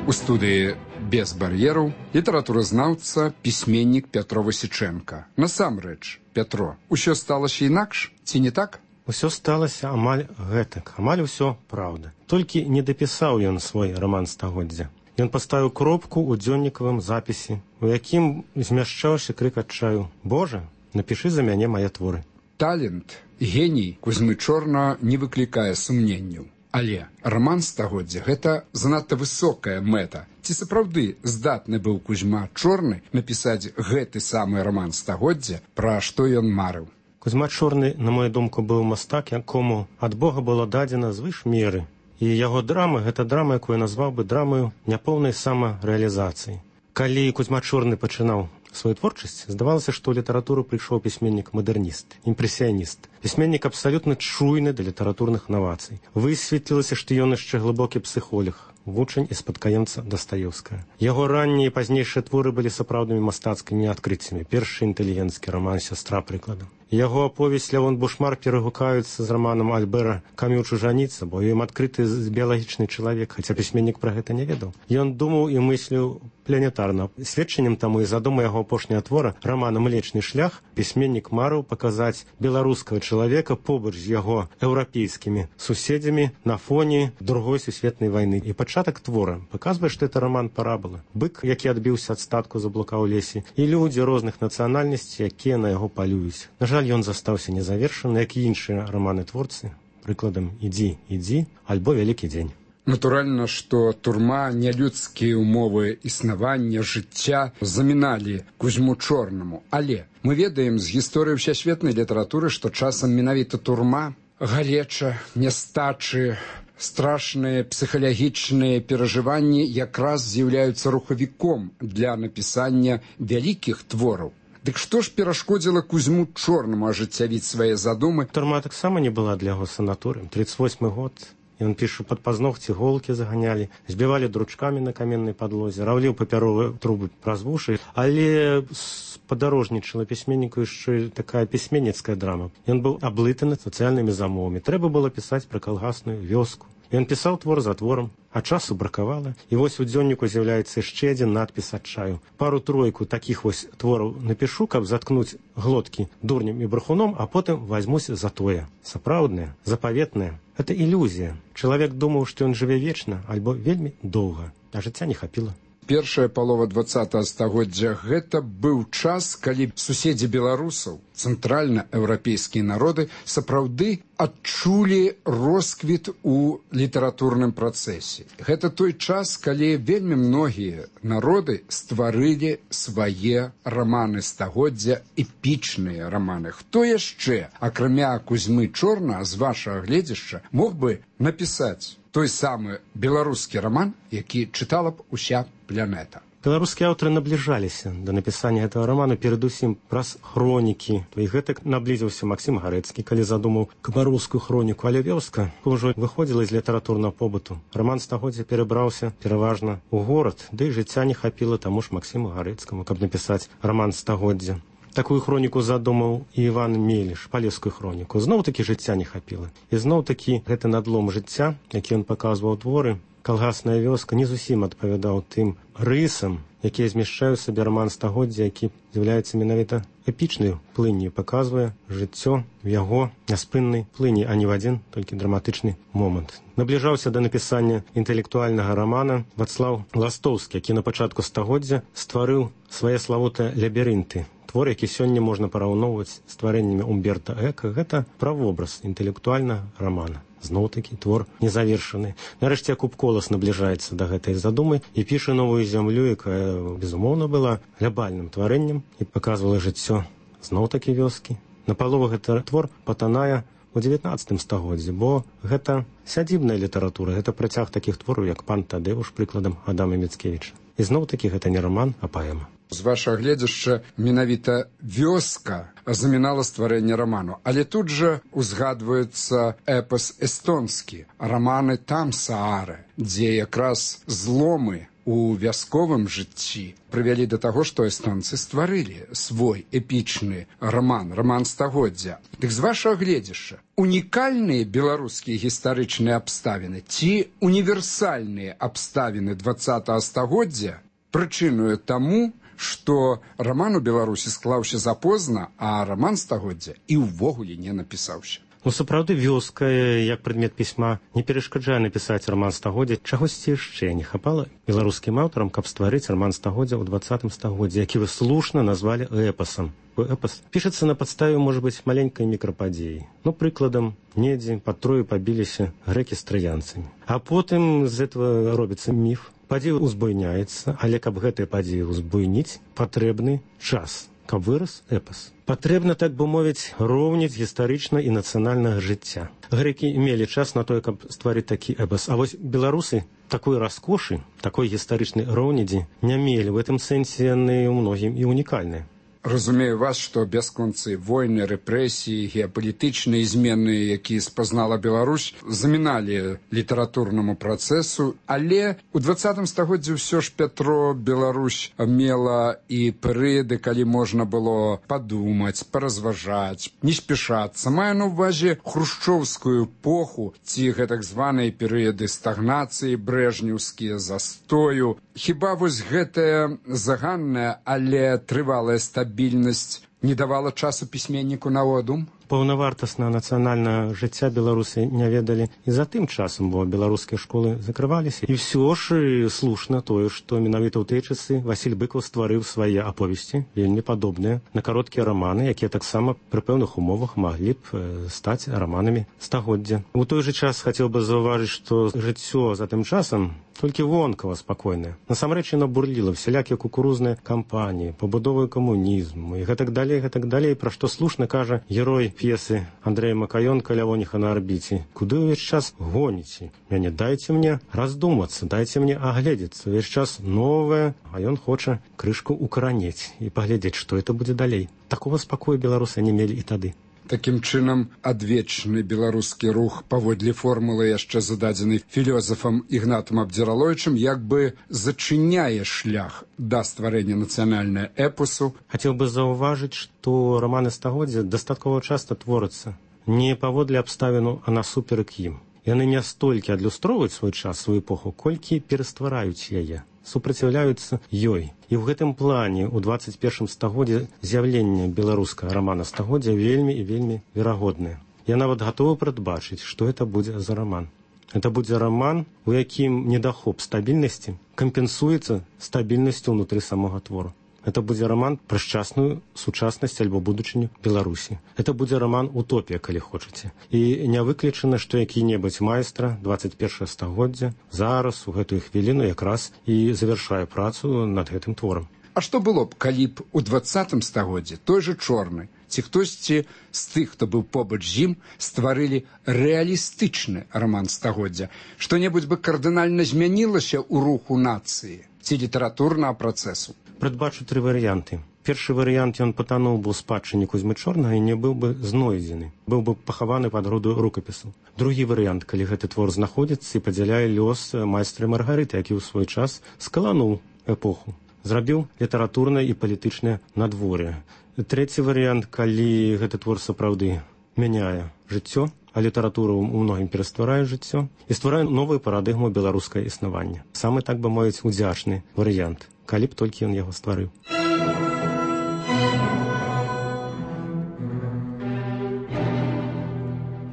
У студыі «Без бар'ераў» літаратуразнаўца, пісьменнік Пятро Васічэнка. Насамрэч, Пятро, усё сталася інакш, ці не так? Усё сталася амаль гэтак, амаль усё праўда. Толькі не дапісаў ён свой раман стагоддзя. Ён паставіў кропку ў дзённікавым запісе, у якім змяшчаўся крык адчаю: «Божа, напішы за мяне мае творы». Талент, геній Кузьмы Чорнага не выклікае сумненняў. Але раман стагоддзя – гэта занадта высокая мэта. Ці сапраўды здатны быў Кузьма Чорны напісаць гэты самы раман стагоддзя, пра што ён марыў? Кузьма Чорны, на мою думку, быў мастак, якому ад Бога было дадзена звыш меры. І яго драма – гэта драма, якую назваў бы драмаю няпоўнай самарэалізацыі. Калі Кузьма Чорны пачынаў свою творчасць, здавалася, што ў літаратуру прыйшоў пісьменнік-мадэрніст, імпрэсіяніст. Пісьменнік абсалютна чуйны да літаратурных навацый. Высветлілася, што ён яшчэ глыбокі псіхолог, вучань і спадкаемца Дастаеўскага. Яго раннія і пазнейшыя творы былі сапраўднымі мастацкімі адкрыццямі. Першы інтэлігенцкі раман «Сястра» прыкладам. Яго аповесць «Лявон Бушмар» перагукаюцца з раманам Альбера «Камю чужаніца», бо ім адкрыты біялагічны чалавек, хаця пісьменнік пра гэта не ведаў. Ён думаў і мысліў планетарна. Сведчаннем таму і задума яго апошняга твора рамана «Млечны шлях» пісьменнік марыў паказаць беларускага чалавека побач з яго еўрапейскімі суседзямі на фоне другой сусветнай вайны. І пачатак твора паказвае, што это раман парабола. Бык, які адбіўся ад статку, заблукаў у лесе, і людзі розных нацыянальнасцей, якія на яго палююць. На жаль, ён застаўся незавершаны, як і іншыя раманы-творцы, прыкладам «Ідзі, ідзі» альбо «Вялікі дзень». Натуральна, што турма, нялюдскія ўмовы існавання, жыцця заміналі Кузьму Чорнаму. Але мы ведаем з гісторыі ўсесветнай літаратуры, што часам менавіта турма, галеча, нястачы, страшныя псіхалагічныя перажыванні якраз з'яўляюцца рухавіком для напісання вялікіх твораў. Дык што ж перашкодзіла Кузьму Чорнаму ажыццявіць свае задумы? Турма таксама не была для яго санаторыем. тридцать восьмы год. Ён піша, пад пазногці голкі заганялі, збівалі дручкамі на каменнай падлозе, раўліў папяровыя трубы праз вушы, але спадарожнічала пісьменніку яшчэ такая пісьменніцкая драма. Ён быў аблытаны сацыяльнымі замовамі. Трэба было пісаць пра калгасную вёску. Ён пісаў твор за творам, а часу бракавала. І вось у дзённіку з'яўляецца яшчэ адзін надпіс адчаю. Пару-тройку такіх вось твораў напішу, каб заткнуць глоткі дурнем і брахуном, а потым вазьмусь за тое. Сапраўднае, запаветнае. Это ілюзія. Чалавек думаў, што ён жыве вечна, альбо вельмі доўга, а жыцця не хапіла. Першая палова двадцатага стагоддзя гэта быў час, калі суседзі беларусаў, цэнтральнаеўрапейскія народы сапраўды адчулі росквіт у літаратурным працэсе. Гэта той час, калі вельмі многія народы стварылі свае раманы стагоддзя, эпічныя раманы. Хто яшчэ, акрамя Кузьмы Чорнага, з вашага гледзяшча, мог бы напісаць той самы беларускі раман, які чытала б уся планета? Беларускія аўтары набліжаліся да напісання гэтага раману перадусім праз хронікі. І гэтак наблізіўся Максім Гарэцкі, калі задумаў камароўскую хроніку, але вёска ўжо выходзіла з літаратурнага побыту. Раман стагоддзя перабраўся пераважна ў горад, ды і жыцця не хапіла таму ж Максіму Гарэцкаму, каб напісаць раман стагоддзя. Такую хроніку задумаў і Іван Меліш, палескую хроніку. Зноў-такі жыцця не хапіла. І зноў-такі гэты надлом жыцця, які ён паказваў творы, калгасная вёска, не зусім адпавядаў тым рысам, якія змяшчаюць сабе раман стагоддзя, які з'яўляецца менавіта эпічнай плынню, паказвае жыццё в яго няспыннай плыні, а не в адзін толькі драматычны момант. Набліжаўся да напісання інтэлектуальнага рамана Вацлаў Ластоўскі, які на пачатку стагоддзя стварыў свае славутыя лабірынты. Твор, які сёння можна параўноўваць з тварэннямі Умберта Эка, гэта правобраз інтэлектуальнага рамана. Зноў-такі твор незавершаны. Нарэшце Якуб Колас набліжаецца да гэтай задумы і піша новую зямлю, якая, безумоўна, была глябальным тварэннем і паказвала жыццё зноў-такі вёскі. Напалову гэты твор патанае у дзевятнаццатым стагоддзі, бо гэта сядзібная літаратура, гэта працяг такіх твораў, як «Пан Тадэуш», прыкладам Адама Міцкевіча. І зноў-такі гэта не раман, а паэма. З вашага гледзяшча менавіта вёска замінала стварэнне раману. Але тут жа узгадваецца эпас эстонскі, раманы «Там Саары», дзе якраз зломы у вясковым жыцці прывялі да таго, што эстонцы стварылі свой эпічны раман, раман стагоддзя. Дык з вашага гледзяшча, унікальныя беларускія гістарычныя абставіны ці універсальныя абставіны дваццатага стагоддзя прычынуе таму, што раман у Беларусі склаўся запозна, а раман стагоддзя і ўвогуле не напісаўся. Ну, сапраўды, вёска, як прадмет пісьма, не перашкаджае напісаць раман стагоддзя. Чагосьці яшчэ не хапала беларускім аўтарам, каб стварыць раман стагоддзя ў дваццатым стагоддзі, які вы слушна назвалі эпасам. Эпас пішацца на падставе, можа быць, маленькай мікрападзеі. Ну, прыкладам, недзе пад Трою пабіліся грэкі з траянцамі. А потым з этого робіцца міф. Падзея узбуйняецца, але каб гэтыя падзеі узбуйніць, патрэбны час, каб вырас эпас. Патрэбна, так бы мовіць, роўніць гістарычна і нацыянальнага жыцця. Грэкі мелі час на тое, каб стварыць такі эпас. А вось беларусы такой раскошы, такой гістарычнай роўнідзі не мелі. В гэтым сэнсе яны ў многім і унікальныя. Разумею вас, што бясконцы войны, рэпрэсіі, геапалітычныя змены, якія спазнала Беларусь, заміналі літаратурнаму працэсу, але ў дваццатым стагоддзі ўсё ж Пятро Беларусь мела і перыяды, калі можна было падумаць, паразважаць, не спяшацца. Маю на ўвазе хрушчоўскую эпоху ці гэтак званыя перыяды стагнацыі, брэжнеўскія, застою. Хіба вось гэтая заганная, але трывалая стабільнасць не давала часу пісьменніку на одум? Паўнавартаснага нацыянальнага жыцця беларусы не ведалі і за тым часам, бо беларускія школы закрываліся. І ўсё ж слушна тое, што менавіта ў тыя часы Васіль Быкаў стварыў свае аповесці, вельмі падобныя на кароткія раманы, якія таксама пры пэўных умовах маглі б стаць раманамі стагоддзя. У той жа час хацеў бы заўважыць, што жыццё за тым часам толькі вонкава спакойнае. Насамрэч яно бурліла всялякія кукурузныя кампаніі, пабудовы камунізму і гэтак далей, гэтак далей, пра што слушна кажа герой п'есы Андрэя Макаёнка «Лявоніха на арбіце». Куды ўвесь час гоніце? Мяне дайце мне раздумацца, дайце мне агледзецца. Увесь час новае, а ён хоча крышку укаранець і паглядзець, што это будзе далей. Такога спакою беларусы не мелі і тады. Такім чынам, адвечны беларускі рух паводле формулы, яшчэ зададзенай філёзафам Ігнатам Абдзіраловічам, як бы зачыняе шлях да стварэння нацыянальнага эпосу. Хацеў бы заўважыць, што раманы стагоддзя дастаткова часта творяцца не паводле абставіну, а насуперак ім. Яны не столькі адлюстроўваюць свой час, сваю эпоху, колькі пераствараюць яе, супраціўляюцца ёй. І ў гэтым плане ў дваццаць першым стагоддзі з'яўленне беларускага рамана стагоддзя вельмі і вельмі верагоднае. Я нават гатовы прадбачыць, што это будзе за раман. Это будзе раман, у якім недахоп стабільнасці кампенсуецца стабільнасцю ўнутры самога твору. Это будзе роман пра шчасную сучаснасць альбо будучыню Беларусі. Это будзе роман утопія, калі хочаце. І не выключана, што які-небудзь майстра двадцать першага стагоддзя зараз у гэтую хвіліну якраз і завяршае працу над гэтым творам. А што было б, калі б у двадцатым стагоддзі той жа Чорны ці хтосьці з тых, хто быў побач з ім, стварылі рэалістычны раман стагоддзя? Што-небудзь бы кардынальна змянілася ў руху нацыі ці літаратурнага працэсу? Прадбачу тры варыянты. Першы варыянт, ён патануў бы ў спадчыне Кузьмы Чорнага і не быў бы знойдзены, быў бы пахаваны пад груду рукапісаў. Другі варыянт, калі гэты твор знаходзіцца і падзяляе лёс майстра Маргарыты, які ў свой час скалануў эпоху, зрабіў літаратурнае і палітычнае надвор'е. Трэці варыянт, калі гэты твор сапраўды мяняе жыццё, а літаратура ў многім перастварае жыццё і стварае новую парадыгму беларускае існавання. Самы, так бы мовіць, удзячны варыянт, калі б толькі ён яго стварыў.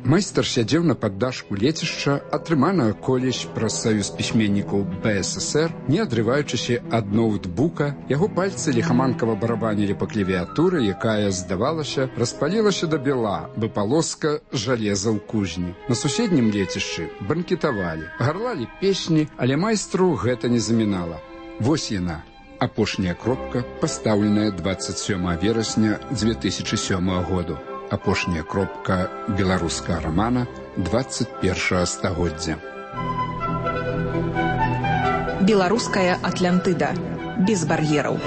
Майстар сядзеў на паддашку лецішча, атрыманага колісь праз саюз пісьменнікаў бэ эс эс эр, не адрываючыся ад ноутбука, яго пальцы ліхаманкава барабанілі па клавіатуры, якая, здавалася, распалілася да бела, бы палоска жалеза ў кузні. На суседнім лецішчы банкетавалі, гарлалі песні, але майстру гэта не замінала. Вось яна, апошняя кропка, пастаўленая двадцать сёмага верасня дзве тысячы сёмага году. Апошняя кропка беларускага рамана двадцать першага стагоддзя. Беларуская Атлантыда. Без бар'ераў.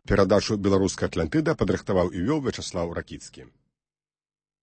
Перадачу «Беларуская Атлантыда» падрыхтаваў і вёў Вячаслаў Ракіцкі.